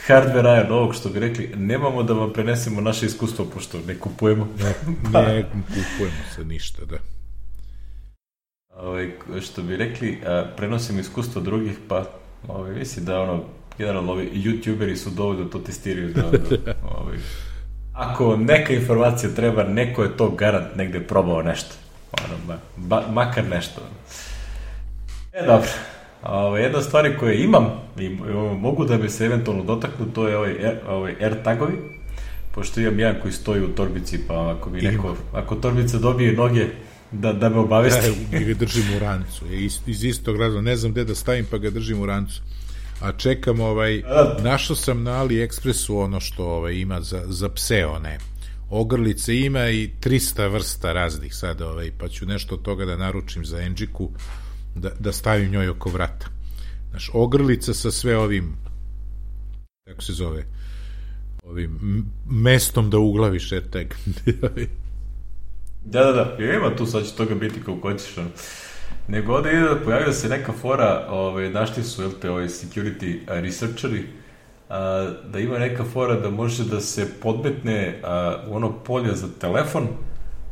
hardvera novog, što bi rekli, nemamo da vam prenesemo naše iskustvo, pošto ne kupujemo. Ne kupujemo se ništa, da. Što bi rekli, prenosimo iskustvo drugih, pa mislim da generalno ovi youtuberi su dovoljno to testiraju ako neka informacija treba, neko je to garant negde probao nešto. Makar nešto. Dobro. Jedna stvari koje imam i mogu da bi se eventualno dotaknu, to je ovaj AirTagovi, pošto imam jedan koji stoji u torbici, pa ako torbica dobije noge, da me obavesti. Ja ga držim u rancu, iz istog razloga, ne znam gde da stavim, pa ga držim u rancu. A čekam, našao sam na AliExpressu ono što ima za pse, one ogrlice, ima i 300 vrsta raznih sad, pa ću nešto od toga da naručim za Enđiku, da stavim njoj oko vrata. Znaš, ogrlica sa sve ovim, kako se zove, ovim mestom da uglaviš etag. Da, ima tu, sad će toga biti kako hoćeš. Nego ovde ide da pojavio se neka fora, našli su ovi security researcheri, da ima neka fora da može da se podmetne u ono polje za telefon,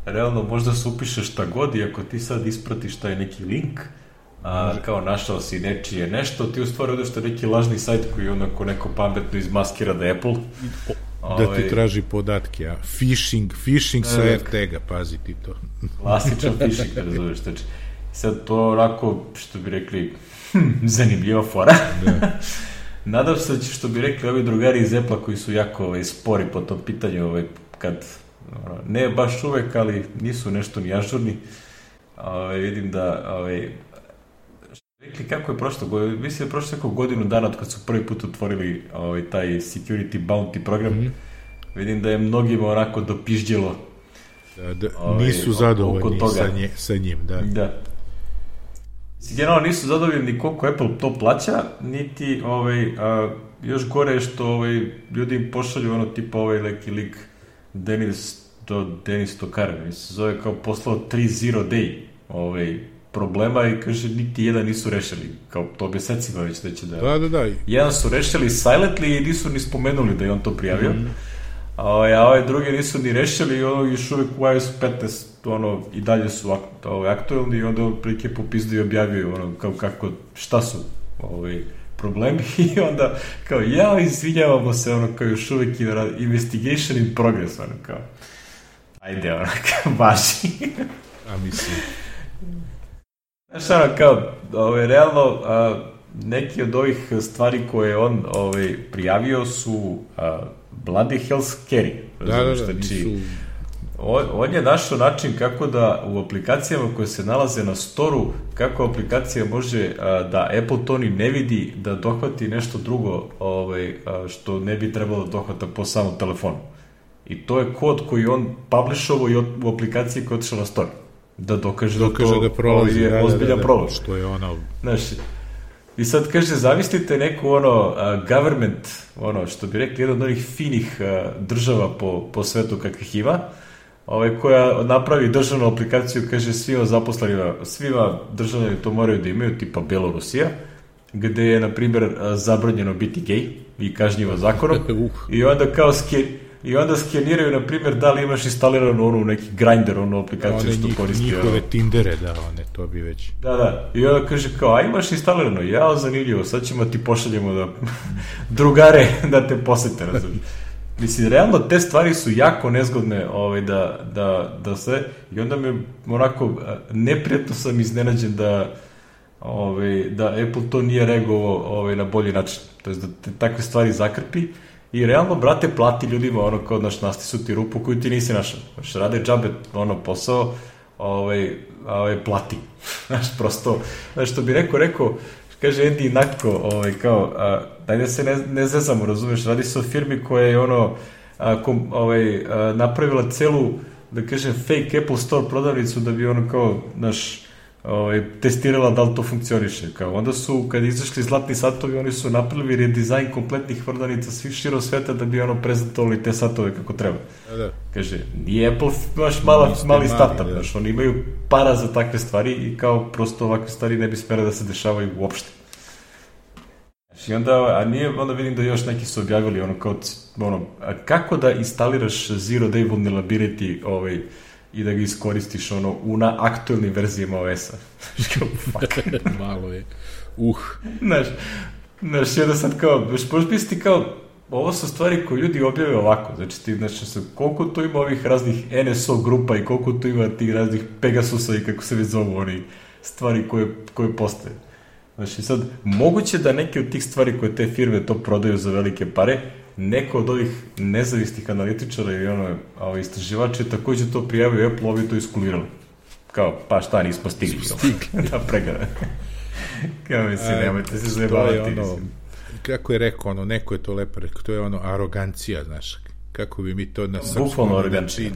realno možda se upiše šta god i ako ti sad ispratiš taj neki link, kao našao si nečije nešto, ti u stvari odeš na neki lažni sajt koji onako neko pametno izmaskira da je Apple. Da ti traži podatke, a phishing sa RTG-a, pazi ti to. Klasičan phishing, razumeš, znači. Sad to onako, što bi rekli, zanimljiva fora. Nadam se da će, što bi rekli ovi drugari iz Apple-a koji su jako spori po tom pitanju, kad, ne baš uvek, ali nisu nešto ni ažurni. Vidim da, rekli kako je prošlo, mislim da je prošlo neko godinu dana od kad su prvi put otvorili taj Security Bounty program. Vidim da je mnogima onako dopižđelo. Nisu zadovoljni sa njim, da. Generalno nisu zadovoljni ni koliko Apple to plaća, niti još gore je što ljudi im pošalju ono tipa neki lik Denis Tokar, se zove kao poslao 3 day problema i kaže niti jedan nisu rešili, kao to mesecima već da će da. Jedan su rešili silently i nisu ni spomenuli da je on to prijavio, a drugi nisu ni rešili i još uvek u iOS 15 i dalje su aktuelni i onda prike popizdu i objavio kako, šta su problemi i onda kao izvinjavamo se kao još uvek investigation in progress, kao ajde, važi. A mislim. Znaš, kao, realno, neki od ovih stvari koje on prijavio su bloody hell scary. Da, nisu... On je našao način kako da u aplikacijama koje se nalaze na storu, kako aplikacija može da Apple to ni ne vidi, da dohvati nešto drugo što ne bi trebalo da dohvata po samom telefonu. I to je kod koji on publishovao i u aplikaciji koja je otišla na store. Da dokaže da to prolazi, je ozbiljan problem. Što je Znaš, i sad kaže, zamislite neku government, što bi rekli, jedan od onih finih država po svetu kakvih ima, koja napravi državnu aplikaciju, kaže svima zaposlenima, svima državljani to moraju da imaju, tipa Belorusija, gde je, na primjer, zabranjeno biti gej i kažnjivo zakonom, i onda kao i onda skeniraju, na primjer, da li imaš instaliranu neki Grindr, aplikaciju što koristi. Njihove Tindere, to bi već. Da. I onda kaže kao, a imaš instalirano? Zanimljivo, sad ćemo ti pošaljemo da drugare da te posete, razumiješ. Mislim, realno, te stvari su jako nezgodne da sve, i onda me onako neprijatno sam iznenađen da Apple to nije reagovao na bolji način. To je da te takve stvari zakrpi i realno, brate, plati ljudima kao našli su ti rupu koju ti nisi našao. Rade džabe posao, plati. Znaš, prosto, što bi rekao, kaže Andy Natko, kao, daj da se ne zezamo, razumeš, radi se o firmi koja je napravila celu, da kažem, fake Apple Store prodavnicu da bi kao, testirala da li to funkcioniše. Kao, onda su, kad izašli zlatni satovi, oni su napravili redizajn kompletnih prodavnica svih širom sveta da bi prezentovali te satove kako treba. Da. Kaže, nije Apple mali startup, oni imaju para za takve stvari i kao prosto ovakve stvari ne bi smjela da se dešavaju uopšte. I onda vidim da još neki su objavili kako da instaliraš Zero Day Vulnerability i da ga iskoristiš na aktuelnim verzijama OS-a. Malo je. Znaš, jedna sad kao, možeš misliti kao, ovo su stvari koje ljudi objave ovako, znači koliko tu ima ovih raznih NSO grupa i koliko tu ima tih raznih Pegasusa i kako se već zovu oni stvari koje postoje. Znači sad, moguće da neke od tih stvari koje te firme to prodaju za velike pare, neko od ovih nezavisnih analitičara i istraživača je također to prijavio Apple, ovi to iskulirali. Kao, pa šta, nismo stigli. Da, pregara. Kao mislim, nemojte se zajebavati. kako je rekao, neko je to lepo rekao, to je arogancija, znaš, kako bi mi to na srpskom arogancija.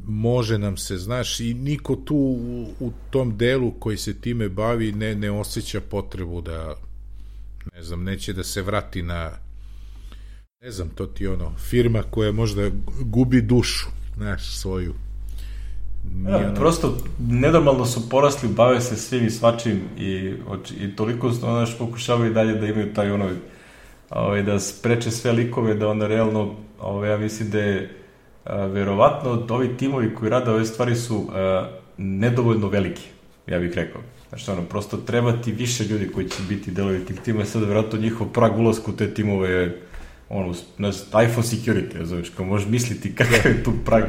Može nam se, znaš, i niko tu u tom delu koji se time bavi ne osjeća potrebu da, ne znam, neće da se vrati na, ne znam, to ti firma koja možda gubi dušu, znaš, svoju. Prosto nenormalno su porasli, bave se svim i svačim i toliko pokušavaju dalje da imaju taj da spreče sve likove, da onda realno ja mislim da je verovatno ovi timovi koji rade ove stvari su nedovoljno veliki, ja bih rekao. Znači, prosto treba ti više ljudi koji će biti delovi tih tima, sad verovatno njihov prag ulazka u te timove je iPhone security, razumiješ, kao možeš misliti kakav je tu prag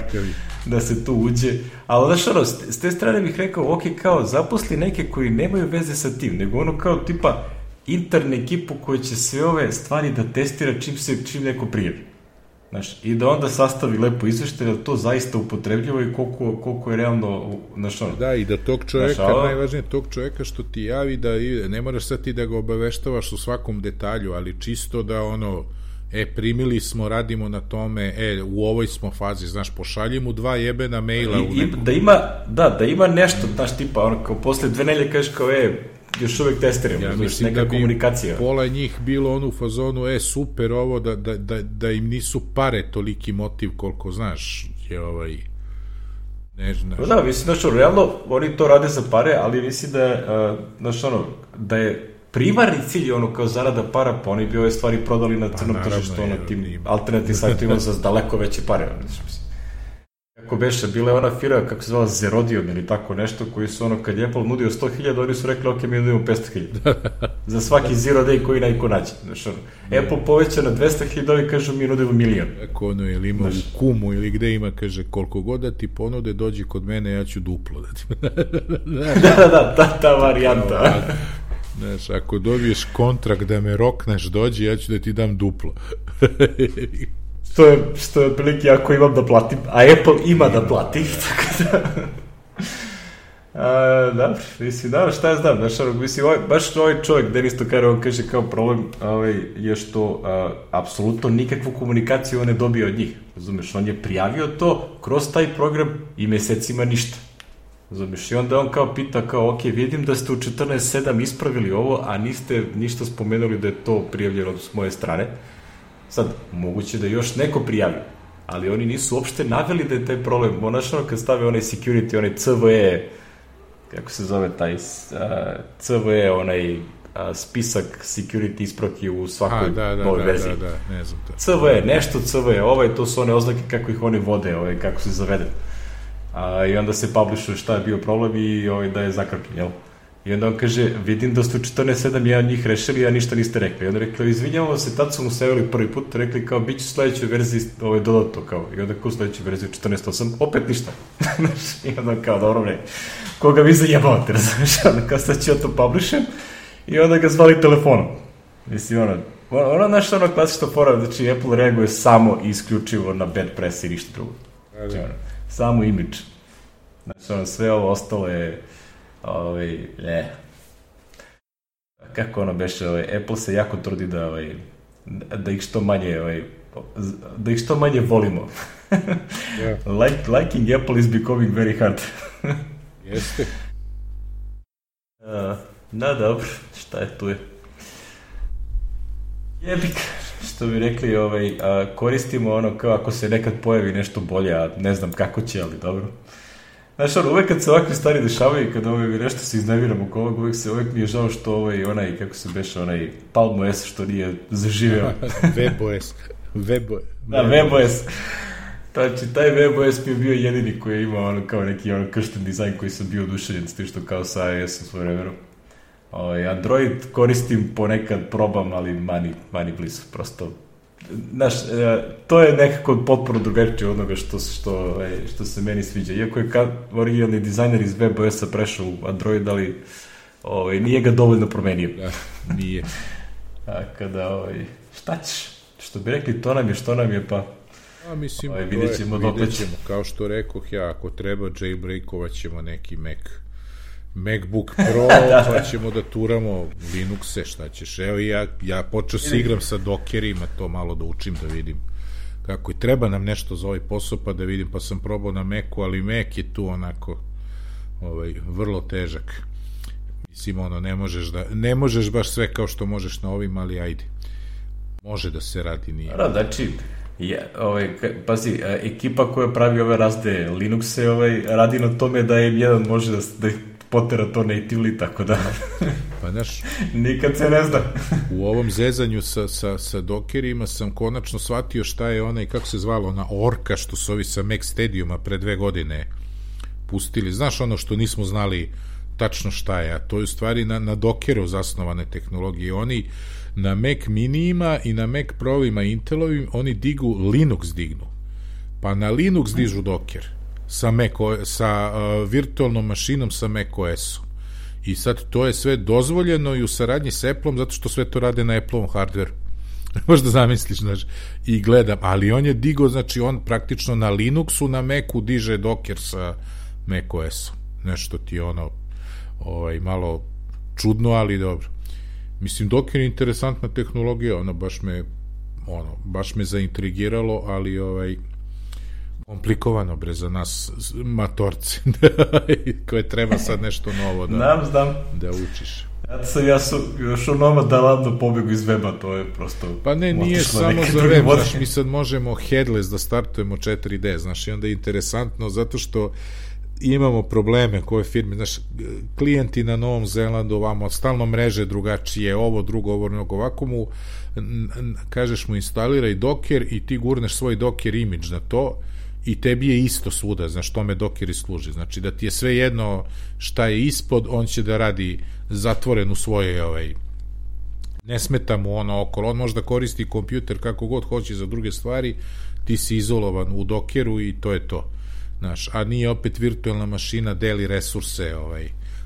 da se tu uđe, ali znaš, s te strane bih rekao, ok, kao zaposli neke koji nemaju veze sa tim, nego kao tipa interne ekipu koja će sve ove stvari da testira čim neko prijavi. Znaš, i da onda sastavi lepo izveštaj, da to zaista upotrebljivo i koliko je realno, znaš, Da, i da tog čoveka, najvažnije tog čoveka što ti javi, da ne moraš sad ti da ga obaveštavaš u svakom detalju, ali čisto da primili smo, radimo na tome, u ovoj smo fazi, znaš, pošalji mu 2 jebena maila u neku. Da ima nešto, znaš, tipa, kao posle 2 nedelje kažeš kao, još uvek testiramo, ja mislim neka komunikacija. Pola njih bilo u fazonu, super ovo, da im nisu pare toliki motiv koliko, znaš, je ne znaš. Da, mislim, znaš, realno, oni to rade za pare, ali mislim da je, znaš, da je primarni cilj je kao zarada para, pa oni bi ove stvari prodali na crnom tržištu, tim alternativnim sajtovima za daleko veće pare, mislim. Kako beše, bila je ona firma, kako se zvala, Zerodium ili tako nešto, koji su kad je Apple nudio 100.000, oni su rekli, ok, mi nudimo 500.000. Za svaki zero day koji najko nađe. Apple poveća na 200.000, ovi kažu, mi nudimo 1.000.000. Ako ili ima u Kumu ili gde ima, kaže, koliko god da ti ponude, dođi kod mene, ja ću duplo da ti... ta varijanta. Znaš, ako dobiješ kontrakt da me rokneš, dođi, ja ću da ti dam duplo. Što je otprilike ako imam da platim, a Apple ima da plati, tako da... Dobro, mislim, šta ja znam, mislim, baš ovaj čovjek, Denis Tokar, on kaže kao problem je što apsolutno nikakvu komunikaciju on ne dobio od njih, razumeš, on je prijavio to kroz taj program i mesecima ništa, razumeš, i onda on kao pita kao, ok, vidim da ste u 14.7 ispravili ovo, a niste ništa spomenuli da je to prijavljeno s moje strane. Sad, moguće da još neko prijavi, ali oni nisu uopšte naveli da je taj problem. Onačno, kad stave onaj security, onaj CVE, kako se zove taj CVE, onaj spisak security ispravki u svakoj novoj verziji. Da, ne znam to. CVE, nešto CVE, to su one oznake kako ih oni vode, kako se zavede. I onda se publishuje šta je bio problem i da je zakrpljen, jel? I onda on kaže, vidim da ste u 14.7 jedan njih rešili, a ništa niste rekli. I onda rekli, izvinjavamo se, tad su mu seveli prvi put, rekli kao, bit će u sledećoj verziji dodato, kao. I onda kao u sledećoj verziji 14.8, opet ništa. I onda kao, dobro bre, koga vi zajebavate, razumiješ? Onda kao, sad ću ja to publishem i onda ga zvali telefonom. Mislim, naš klasična fora, znači Apple reaguje samo i isključivo na bad press i ništa drugo. Znači, samo imidž. Znači, sve ovo ostalo je kako beše, Apple se jako trudi da ih što manje volimo. Liking Apple is becoming very hard. Jeste. Dobro, šta je tu je? Jebik, što bi rekli, koristimo kao ako se nekad pojavi nešto bolje, a ne znam kako će, ali dobro. Znaš, uvek kad se ovakve stvari dešavaju i kad nešto se iznerviram oko ovog, uvek mi je žao što kako se beše, Palm OS što nije zaživeo. WebOS. Da, WebOS. Znači, taj WebOS mi je bio jedini koji je imao kao neki kršten dizajn koji sam bio oduševljen s tim što kao sa iOS-om svoje vremenu. Android koristim ponekad, probam, ali mani blizu, prosto. Znaš, to je nekako potpuno drugačije od onoga što se meni sviđa. Iako je originalni dizajner iz WebOS-a prešao u Android, ali nije ga dovoljno promenio. Da, nije. Kada, šta ćeš? Što bi rekli, to nam je što nam je, pa mislim, vidjet ćemo. Kao što rekoh ja, ako treba, jailbreakovat ćemo neki Mac MacBook Pro, pa ćemo da turamo Linuxe, šta ćeš. Evo ja počeo se igram sa Dockerima, to malo da učim, da vidim kako i treba nam nešto za ovaj posao, pa da vidim, pa sam probao na Macu, ali Mac je tu onako vrlo težak. Mislim, ne možeš baš sve kao što možeš na ovim, ali ajde. Može da se radi, nije. Znači, pazi, ekipa koja pravi ove razde Linuxe radi na tome da M1 može da potera to natively, tako da pa znaš, nikad se ne zna. U ovom zezanju sa Dockerima sam konačno shvatio šta je onaj, kako se zvalo, ona orka što su ovi sa Mac Stadiuma pre 2 godine pustili. Znaš, ono što nismo znali tačno šta je, a to je u stvari na Dockeru zasnovane tehnologije. Oni na Mac minijima i na Mac Provima Intelovim oni Linux dignu, pa na Linux dižu Docker sa virtualnom mašinom sa Mac OS-om. I sad to je sve dozvoljeno i u saradnji s Apple-om, zato što sve to rade na Apple-ovom hardveru. Možda zamisliš, znaš, i gledam, ali on je digo, znači on praktično na Linuxu, na Macu diže Docker sa Mac OS-om. Nešto ti malo čudno, ali dobro. Mislim, Docker je interesantna tehnologija, baš me zaintrigiralo, ali komplikovano za nas matorce koje treba sad nešto novo da učiš. Ja sam još onoma da ladno pobegu iz weba, to je prosto... Pa ne, nije samo za web, znaš, mi sad možemo headless da startujemo 4D, znaš, i onda je interesantno zato što imamo probleme koje firme, znaš, klijenti na Novom Zelandu, ovamo, stalno mreže drugačije, ovo drugo, ovako mu, kažeš mu instaliraj Docker i ti gurneš svoj Docker image na to i tebi je isto svuda, znaš, tome Docker i služi, znači da ti je sve jedno šta je ispod, on će da radi zatvoren u svoje, ne smeta mu ono okolo, on može da koristi kompjuter kako god hoće za druge stvari, ti si izolovan u Dockeru i to je to. Znaš, a nije opet virtualna mašina, deli resurse,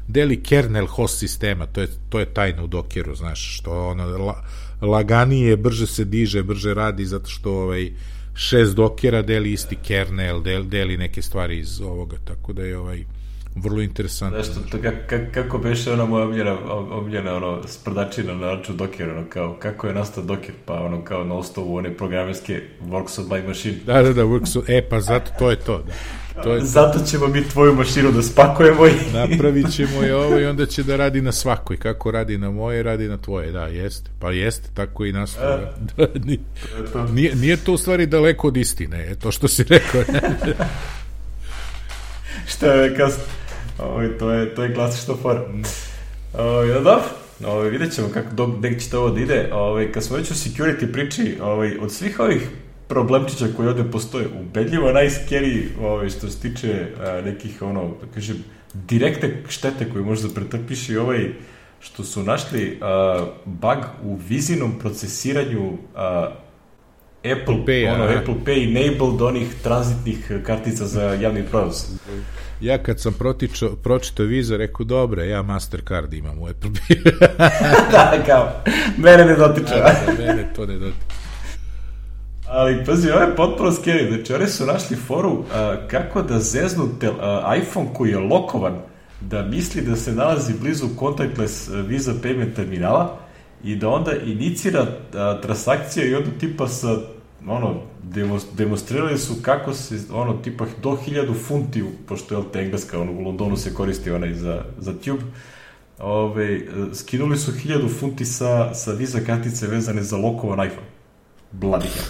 deli kernel host sistema, to je tajna u Dockeru, znaš, što ono laganije, brže se diže, brže radi, zato što 6 Dockera deli isti kernel, deli neke stvari iz ovoga, tako da je vrlo interesantno. Znaš, kako beše ona moja omljena sprdačina na račun Dockera, kao kako je nastao Docker, pa kao na osnovu one programerske Works on my machine. Da, Works on, pa zato to je to, da. Zato ćemo mi tvoju mašinu da spakujemo i... Napravit ćemo je i onda će da radi na svakoj. Kako radi na moje, radi na tvoje. Da, jeste. Pa jeste, tako i nastaje. Nije to u stvari daleko od istine, to što si rekao. Šta je kasno? To je klasična fora. Dobro, vidjet ćemo gde će to ovo da ide. Kad smo već u security priči, od svih ovih problemčića koji ovde postoje, ubedljivo najskeriji što se tiče nekih, da kažem, direktne štete koje možda pretrpiš i što su našli bug u vizinom procesiranju Apple Pay enabled onih tranzitnih kartica za javni prevoz. Ja kad sam pročitao Visa, rekao, dobro, ja Mastercard imam u Apple Pay. Da, kao, mene ne dotiče. Mene to ne dotiče. Ali, pazi, ovo je potpuno scary. Znači, oni su našli foru kako da zeznu iPhone koji je lokovan, da misli da se nalazi blizu contactless Visa payment terminala i da onda inicira transakcija i onda tipa sa, demonstrirali su kako se, tipa do 1000 funti, pošto je engleska, u Londonu se koristi onaj za tube, skinuli su 1000 funti sa Visa kartice vezane za lokovan iPhone. Bladika.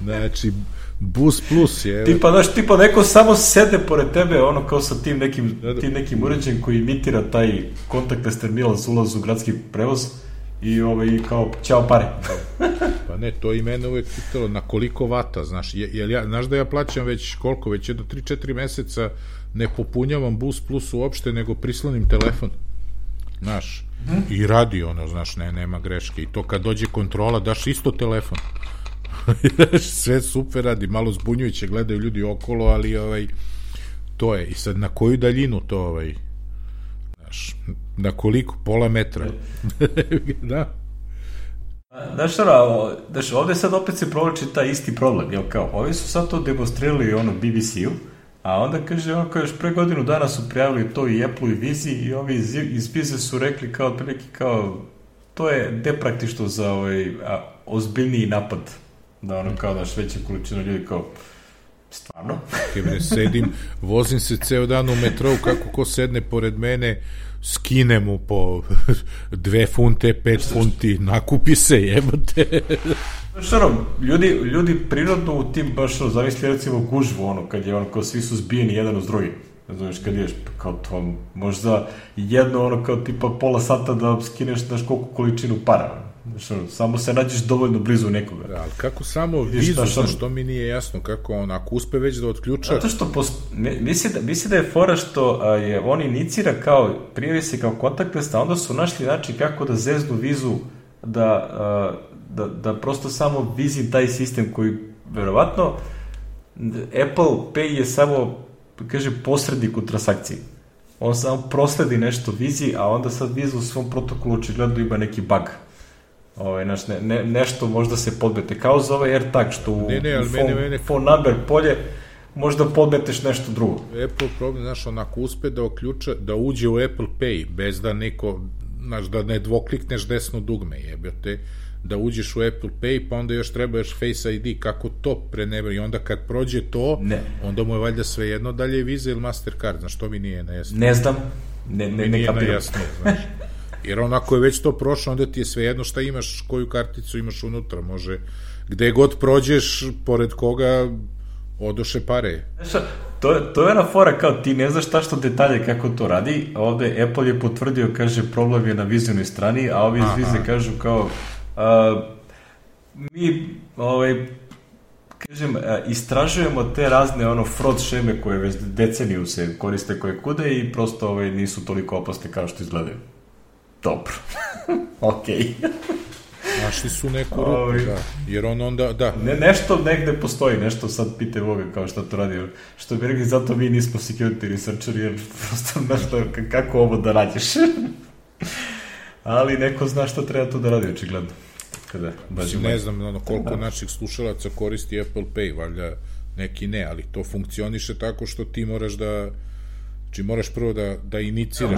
Znači, Bus Plus je... Tipa neko samo sede pored tebe, kao sa tim nekim uređajem koji imitira taj contactless terminal za ulaz u gradski prevoz i kao, ćao pare. Pa ne, to i mene uvek pitalo na koliko vata, znaš, znaš da ja plaćam već koliko, već jedno 3-4 meseca ne popunjavam Bus Plus uopšte, nego prislonim telefon, znaš, i radi znaš, nema greške, i to kad dođe kontrola, daš isto telefon, sve super radi, malo zbunjujuće, gledaju ljudi okolo, ali to je, i sad na koju daljinu to, znaš, na koliko, pola metra, da. Znaš, ovde sad opet se provlači taj isti problem, jel kao, ovi su sad to demonstrirali BBC-u, A onda kaže, ono kao još pre godinu dana su prijavili to i Apple i Vizi i ovi iz Vize su rekli kao, otprilike kao, to je depraktično za ozbiljniji napad. Da ono kao daš veća količina ljudi kao, stvarno? Sedim, vozim se ceo dan u metrou, kako ko sedne pored mene, skine mu po 2 funte, 5 funti, nakupi se, jebote. Znaš, ono, ljudi prirodno u tim, baš, ono, zavisli recimo gužvu, ono, kad je, ono, kao svi su zbijeni jedan uz drugi. Znaš, kad ješ, kao to, možda jedno, ono, kao tipa pola sata da skineš, znaš, koliko količinu para. Znaš, ono, samo se nađeš dovoljno blizu nekoga. Da, ali kako samo Vizu, znaš, to mi nije jasno, kako on, ako uspe već da otključa... Zato što, misli da je fora što je on inicira kao, prijavi se kao kontaktless, a onda su našli način kako da zeznu Vizu, da prosto samo Vizi taj sistem koji, verovatno, Apple Pay je samo, kaže, posrednik u transakciji. On samo prosledi nešto Vizi, a onda sad Viza u svom protokolu očigledno ima neki bug. Nešto možda se podmete, kao za ovaj AirTag, što u phone number polje možda podmeteš nešto drugo. Apple problem, znaš, onako uspe da uđe u Apple Pay, bez da neko, znaš, da ne dvoklikneš desno dugme, jebate, da uđeš u Apple Pay, pa onda još treba još Face ID, kako to prenebra, i onda kad prođe to, onda mu je valjda svejedno dalje je Visa ili Mastercard, znaš, to mi nije nejasno. Ne znam, ne kapiram. Znaš. Jer onako je već to prošlo, onda ti je svejedno šta imaš, koju karticu imaš unutra, može, gde god prođeš, pored koga odoše pare. To je ona fora, kao ti ne znaš tačno detalje kako to radi, a ovde Apple je potvrdio, kaže, problem je na Vizinoj strani, a ovi iz Vize kažu kao, mi, kažem, istražujemo te razne fraud šeme koje već deceniju se koriste koje kude i prosto nisu toliko opasne kao što izgledaju. Dobro. Okej. Našli su neku rupu, da. Jer on onda, da. Nešto negde postoji, nešto sad pite Boga kao šta to radi. Što bi rekli, zato mi nismo security researcheri, jer prosto nešto, kako ovo da radiš. Ali neko zna šta treba to da radi, očigledno. Ne znam koliko naših slušalaca koristi Apple Pay, valjda neki ne, ali to funkcioniše tako što ti moraš da, znači moraš prvo da iniciraš.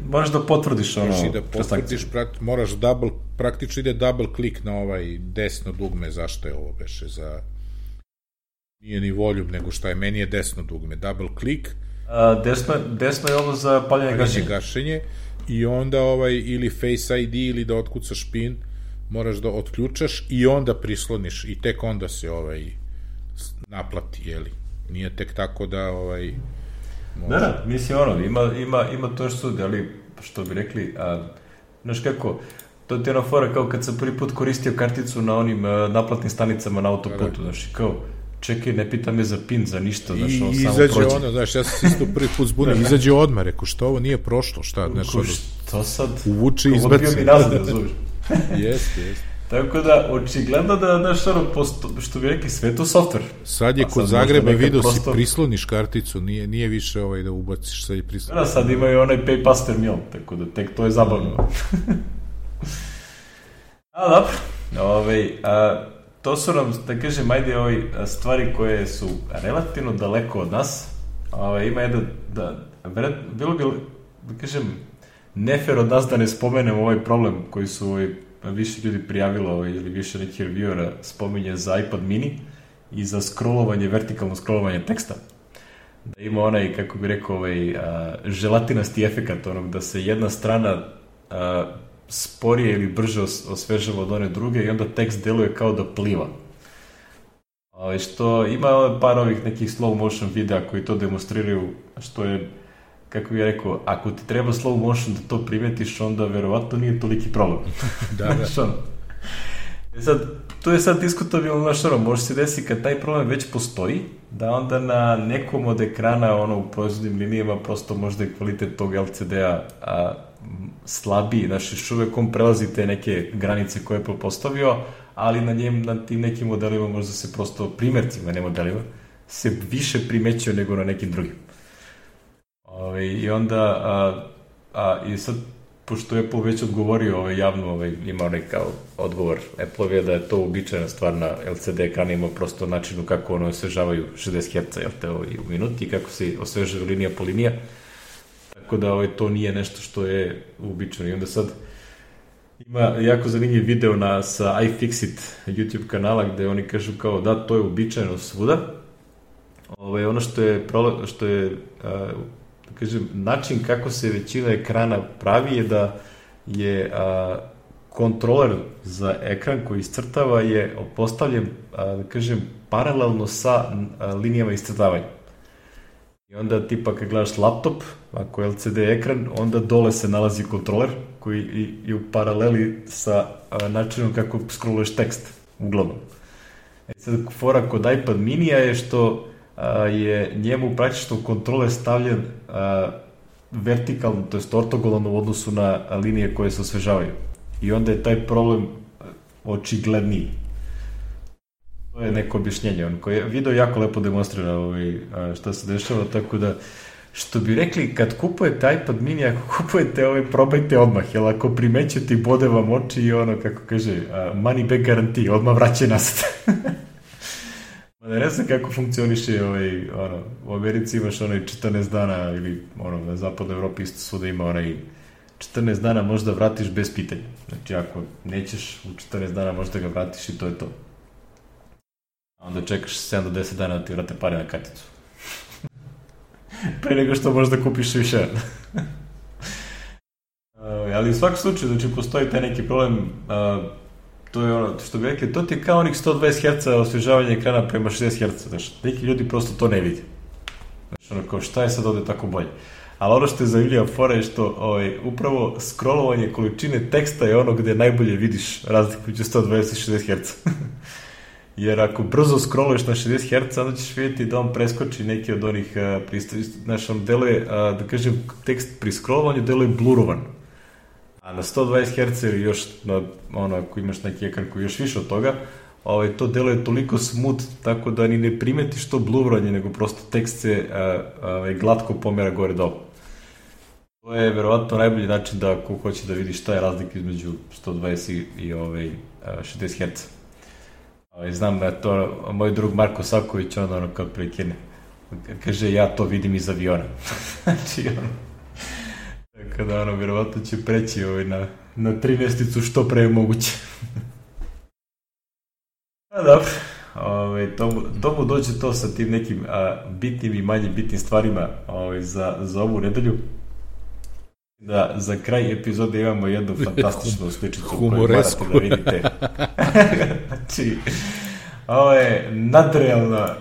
Moraš da potvrdiš ono. Moraš i da potvrdiš, moraš praktično ide double click na ovaj desno dugme, zašto je ovo beše, za nije ni voljub, nego šta je, meni je desno dugme, double click. Desno je ovo za paljenje gašenje. I onda ili Face ID ili da otkucaš PIN, moraš da otključaš i onda prisloniš i tek onda se naplati, jeli? Nije tek tako da Da, mislim ima to što, ali što bi rekli, znaš kako, to ti je ona fora kao kad sam prvi put koristio karticu na onim naplatnim stanicama na autoputu, znaš, kao, čekaj, ne pita me za PIN, za ništa, znaš, on samo prođe. Izađe znaš, ja sam se isto prvi put zbunio, izađe odmah, rekao, što ovo nije prošlo, šta, neko, što sad, uvuče i izbaci. Odbio mi nazad, razumiješ. Jest. Tako da, očigledno da, znaš, što bi rekli, sve to software. Sad je kod Zagreba vidio si prisloniš karticu, nije više da ubaciš, sad je prisloniš. Da, sad imaju onaj pay past terminal, tako da tek to je zabavno. Dobro, to su nam, da kažem, ajde stvari koje su relativno daleko od nas. Ima jedan, bilo bi, da kažem, nefer od nas da ne spomenem ovaj problem koji su više ljudi prijavilo ili više nekih reviewera spominje za iPad mini i za scrollovanje, vertikalno scrollovanje teksta. Da ima onaj, kako bi rekao, želatinasti efekat onog da se jedna strana sporije ili brže osvežava od one druge i onda tekst deluje kao da pliva. Što ima par ovih nekih slow motion videa koji to demonstriraju, što je, kako bih rekao, ako ti treba slow motion da to primetiš, onda verovatno nije toliki problem. Da. To je sad diskutabilno, može se desiti kad taj problem već postoji, da onda na nekom od ekrana u proizvodnim linijama prosto možda je kvalitet tog LCD-a slabiji, još uvek on prelazi te neke granice koje je postavio, ali na tim nekim modelima možda se prosto, primercima, ne modelima, se više primećuje nego na nekim drugim. I onda, i sad pošto Apple već odgovorio javno, ima onaj kao odgovor Apple-ove da je to uobičajena stvar na LCD ekranima, prosto načinu kako ono osvežavaju 60 Hz u minuti, kako se osvežaju linija po linija, tako da to nije nešto što je uobičajeno. I onda sad ima jako zanimljiv video sa iFixit YouTube kanala gde oni kažu kao da to je uobičajeno svuda. Ono što je da kažem, način kako se većina ekrana pravi je da je kontroler za ekran koji iscrtava je postavljen, da kažem, paralelno sa linijama iscrtavanja. I onda tipa kad gledaš laptop, ako je LCD ekran, onda dole se nalazi kontroler koji je u paraleli sa načinom kako scrolluješ tekst, uglavnom. Sad fora kod iPad minija je što je njemu praktično kontroler stavljen vertikalno, to je ortogonalno u odnosu na linije koje se osvežavaju. I onda je taj problem očigledniji. To je neko objašnjenje. Video jako lepo demonstrira šta se dešava, tako da, što bi rekli, kad kupujete iPad mini, ako kupujete probajte odmah, jer ako primećete i bode vam oči i kako kaže, money back guarantee, odmah vraća nazad. Ne znam kako funkcioniše u Americi imaš 14 dana ili na zapadnoj Evropi isto svuda ima 14 dana možda vratiš bez pitanja. Znači ako nećeš u 14 dana možda ga vratiš i to je to. A onda čekaš 7 do 10 dana da ti vrate pare na karticu. Pre nego što možda kupiš više. Ali u svakom slučaju, znači postoji taj neki problem. To je što bi rekli, to ti je kao onih 120 Hz osvežavanja ekrana prema 60 Hz, znaš, neki ljudi prosto to ne vidi. Znaš, kao šta je sad ovde tako bolje? Ali što je zanimljiva fora je što upravo scrollovanje količine teksta je gde najbolje vidiš razliku među 120 i 60 Hz. Jer ako brzo scrolluješ na 60 Hz, onda ćeš vidjeti da on preskoči neki od onih znaš, on deluje, da kažem, tekst pri scrollovanju deluje blurovan. A na 120 Hz ili još, ako imaš neki ekran koji je još više od toga, to deluje toliko smooth, tako da ni ne primetiš to bluranje, nego prosto tekst se glatko pomera gore dole. To je verovatno najbolji način da ako hoće da vidiš šta je razlika između 120 i 60 Hz. Znam da je to moj drug Marko Saković, on kao prekine. Kaže, ja to vidim iz aviona. Znači, tako da verovatno će preći na 13 što pre je moguće. A dobro, to mu dođe to sa tim nekim bitnim i manje bitnim stvarima za ovu nedelju. Da, za kraj epizode imamo jednu fantastičnu sličicu koju morate da vidite. Znači, ovo je nadrealna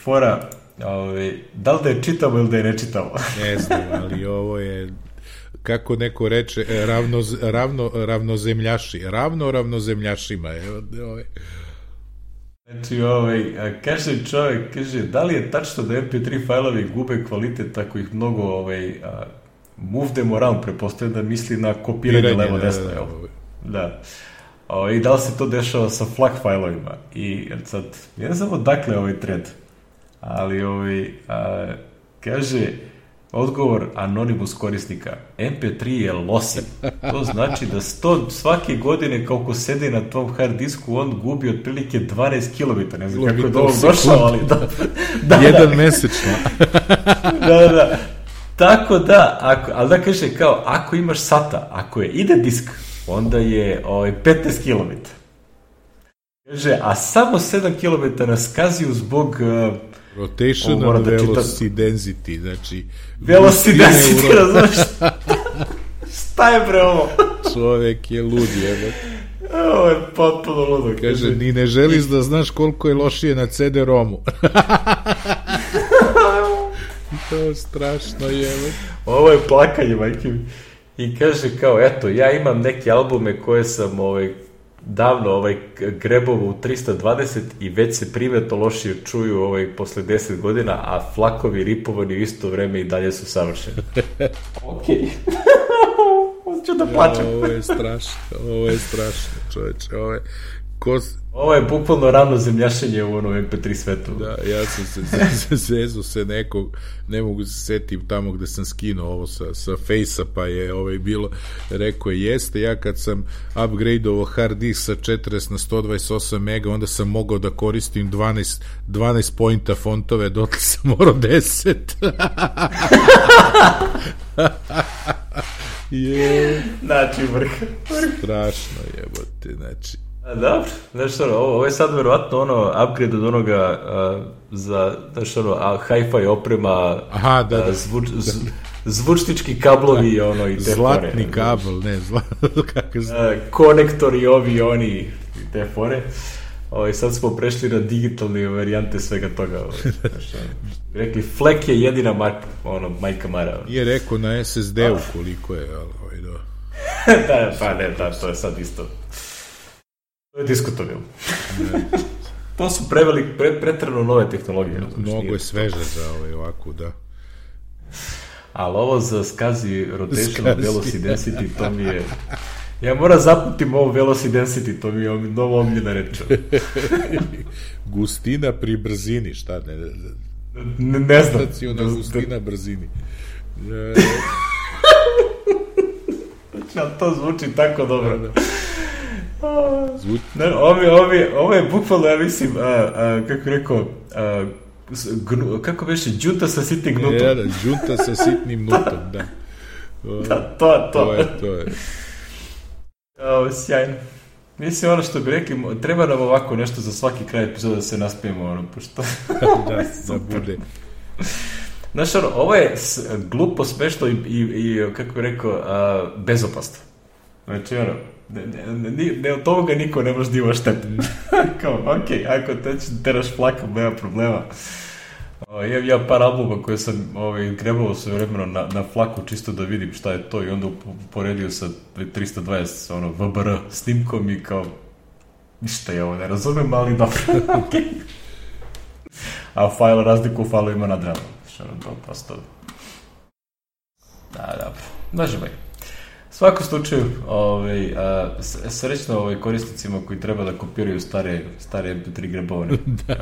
fora. Da li da je čitamo ili da je ne čitamo? Ne znam, ali ovo je, kako neko reče, ravnozemljaši. Ravnozemljašima. Znači, kaže čovjek, da li je tačno da MP3 fajlovi gube kvalitet ako ih mnogo move them around, prepostavljam da misli na kopiranje levo-desno, jel? Da. I da li se to dešava sa FLAC fajlovima? I sad, ja ne znam odakle ovaj thread, ali kaže odgovor anonimus korisnika, MP3 je losin. To znači da svake godine koliko sedi na tom hard disku, on gubi otprilike 12 km. Ne znam kako je do ovog došao, ali da. Jedan mesečno. Da. Tako da, ali da kaže kao, ako imaš SATA, ako je ide disk, onda je 15 km. Kaže, a samo 7 km na skaziju zbog... Rotational velocity density, znači... Velocity density, razumeš? Šta je bre ovo? Čovek je lud, jebe. Ovo je potpuno ludo. Kaže, ni ne želiš da znaš koliko je lošije na CD-ROMu. To je strašno, jebe. Ovo je plakanje, majke. I kaže kao, eto, ja imam neke albume koje sam davno grebovo u 320 i već se primetno lošije čuju posle 10 godina, a flakovi ripovani u isto vreme i dalje su savršeni. Okej. Hoću da plačem. Ovo je strašno, čoveče, Ovo je bukvalno rano zemljašenje u onom MP3 svetu. Da, ja sam se zezu se nekog, ne mogu se setim tamo gde sam skinuo ovo sa Face-a, pa je bilo, rekao je, jeste, ja kad sam upgradeovao hard disk sa 40 na 128 mega, onda sam mogao da koristim 12 pointa fontove, dotle sam morao 10. Znači, vrh. Strašno jebote, znači. Dobro, znaš ovo je sad verovatno upgrade od onoga za, znaš hi-fi oprema, aha, da. Zvučnički kablovi i te zlatni fore. Kabel, ne, kako se... konektori ovi, oni i te fore. Sad smo prešli na digitalne varijante svega toga. Rekli, Fleck je jedina marka, majka Mara. Nije rekao na SSD-u koliko je, ali do... Da, pa ne, da, to je sad isto. To je diskutabilno. To su pretrano nove tehnologije. Mnogo je sveže za ovako, da. Ali ovo za SCSI Rotation Velocity Density, to mi je... Ja moram zaputim ovo Velocity Density, to mi je novo omljena reč. Gustina pri brzini, šta ne? Ne znam. Staciona gustina brzini. To zvuči tako dobro. Zvuči. Ovo je bukvalno, ja mislim, kako rekao, kako beše, džunta sa sitnim gnutom. Da, džunta sa sitnim gnutom, da. Da, to je. Sjajno. Mislim, ono što bi rekli, treba nam ovako nešto za svaki kraj epizoda da se naspijemo, pošto... da bude. Znaš, ovo je glupo, smešno i kako bi rekao, bezopasno. Znači, ne od toga niko ne može da ima štetu. Kao, okej, ako teraš flakom, nema problema. Imam ja par albuma koje sam grebao sve vremeno na flaku čisto da vidim šta je to i onda uporedio sa 320 VBR snimkom i kao ništa je ovo, ne razumem, ali dobro. A razliku u failu ima nad ramom. To prosto... Da, dobro. Naživaj. U svakom slučaju, srećno korisnicima koji treba da kopiraju stare MP3 grebovane.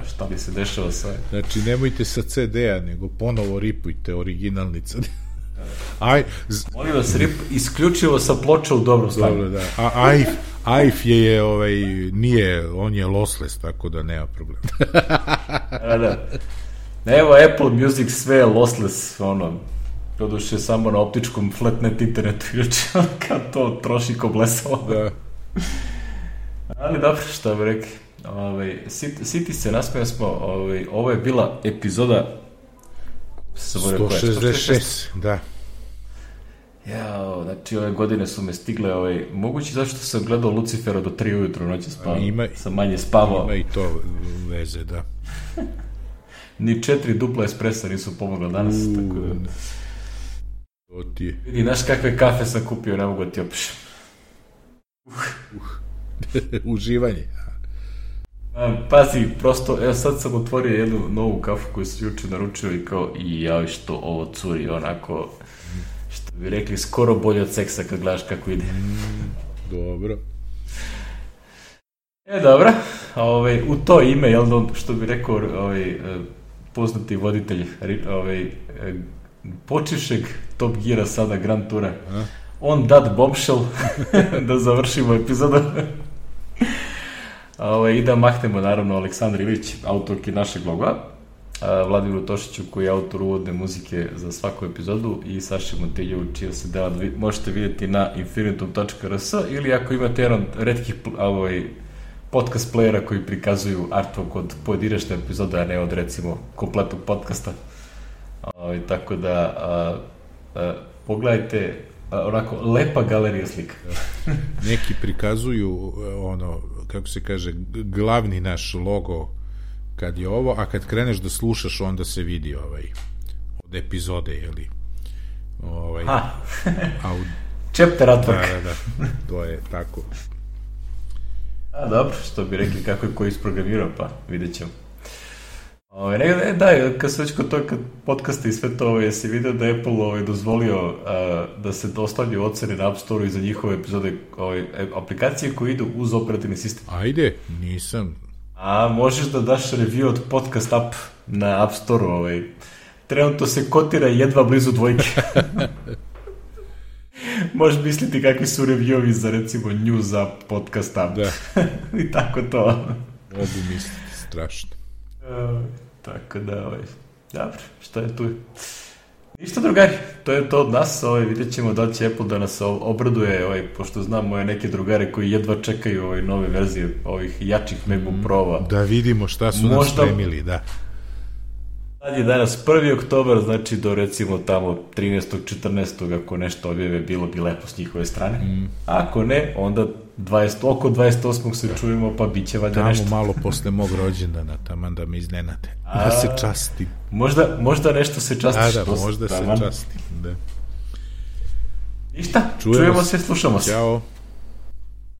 Šta bi se dešava sa... Znači, nemojte sa CD-a, nego ponovo ripujte originalni CD. Molim vas, rip isključivo sa ploča u dobrom stanju. Dobro, da. A AIF je, nije, on je lossless, tako da nema problema. Da. Evo, Apple Music sve je lossless, doduše samo na optičkom flatnet internetu, kad to troši ko blesalo. Da. Ali dobro, šta bi rekli. Siti se, nasmijali smo, ovo je bila epizoda 166, da. Jao, znači ove godine su me stigle, mogući zašto sam gledao Lucifera do 3 ujutru noće spavao, sam manje spavao. Ima i to veze, da. Ni 4 dupla espresa nisu pomogla danas, tako da... Vidi, znaš kakve kafe sam kupio, ne mogu da ti opišem. Uživanje. Pazi, prosto, evo sad sam otvorio jednu novu kafu koju sam juče naručio i kao, jao, što ovo curi, onako, što bi rekli, skoro bolje od seksa kad gledaš kako ide. Dobro. Dobro, u to ime, što bi rekao poznati voditelj počivšeg Top Geara, sada Grand Toura, on that bombshell, da završimo epizodu. I da mahnemo, naravno, Aleksandar Ilić, autorki našeg loga, Vladimiru Tošiću, koji je autor uvodne muzike za svaku epizodu, i Saši Montilju, čija se dela možete vidjeti na infinitum.rs, ili ako imate jedan od retkih podcast playera koji prikazuju artwork od pojedinačne epizode, a ne od, recimo, kompletnog podcasta. Tako da pogledajte, onako lepa galerija slika. Neki prikazuju kako se kaže, glavni naš logo kad je ovo, a kad kreneš da slušaš onda se vidi od epizode, jeli chapter artwork. Da, to je tako. Dobro, što bi rekli, kako je ko isprogramirao, pa vidjet ćemo. Da, kad se već kod toga podcasta i sve to, jesi vidio da Apple dozvolio da se dostavljaju ocene na App Store-u i za njihove epizode aplikacije koje idu uz operativni sistem. Ajde, nisam. A možeš da daš review od podcast app na App Store-u. Trenutno se kotira jedva blizu 2. Možeš misliti kakvi su reviewovi za recimo news app, podcast app. Da. I tako to. Mogu misliti, strašno. Tako da, dobro, što je tu? Ništa, drugari, to je to od nas, vidjet ćemo da li će Apple da nas obraduje, pošto znam moje neke drugare koji jedva čekaju nove verzije ovih jačih MacBook Pro-ova. Da vidimo šta su nas spremili, da. Sad je danas 1. oktobar, znači do recimo tamo 13. 14. ako nešto objave, bilo bi lepo s njihove strane. Ako ne, onda oko 28. se čujemo, pa bit će valjda nešto. Tamo malo posle mog rođendana, taman da me iznenate. Da se častim. Možda nešto se častiš. Da, možda se častim, da. Ništa, čujemo se, slušamo se. Ćao.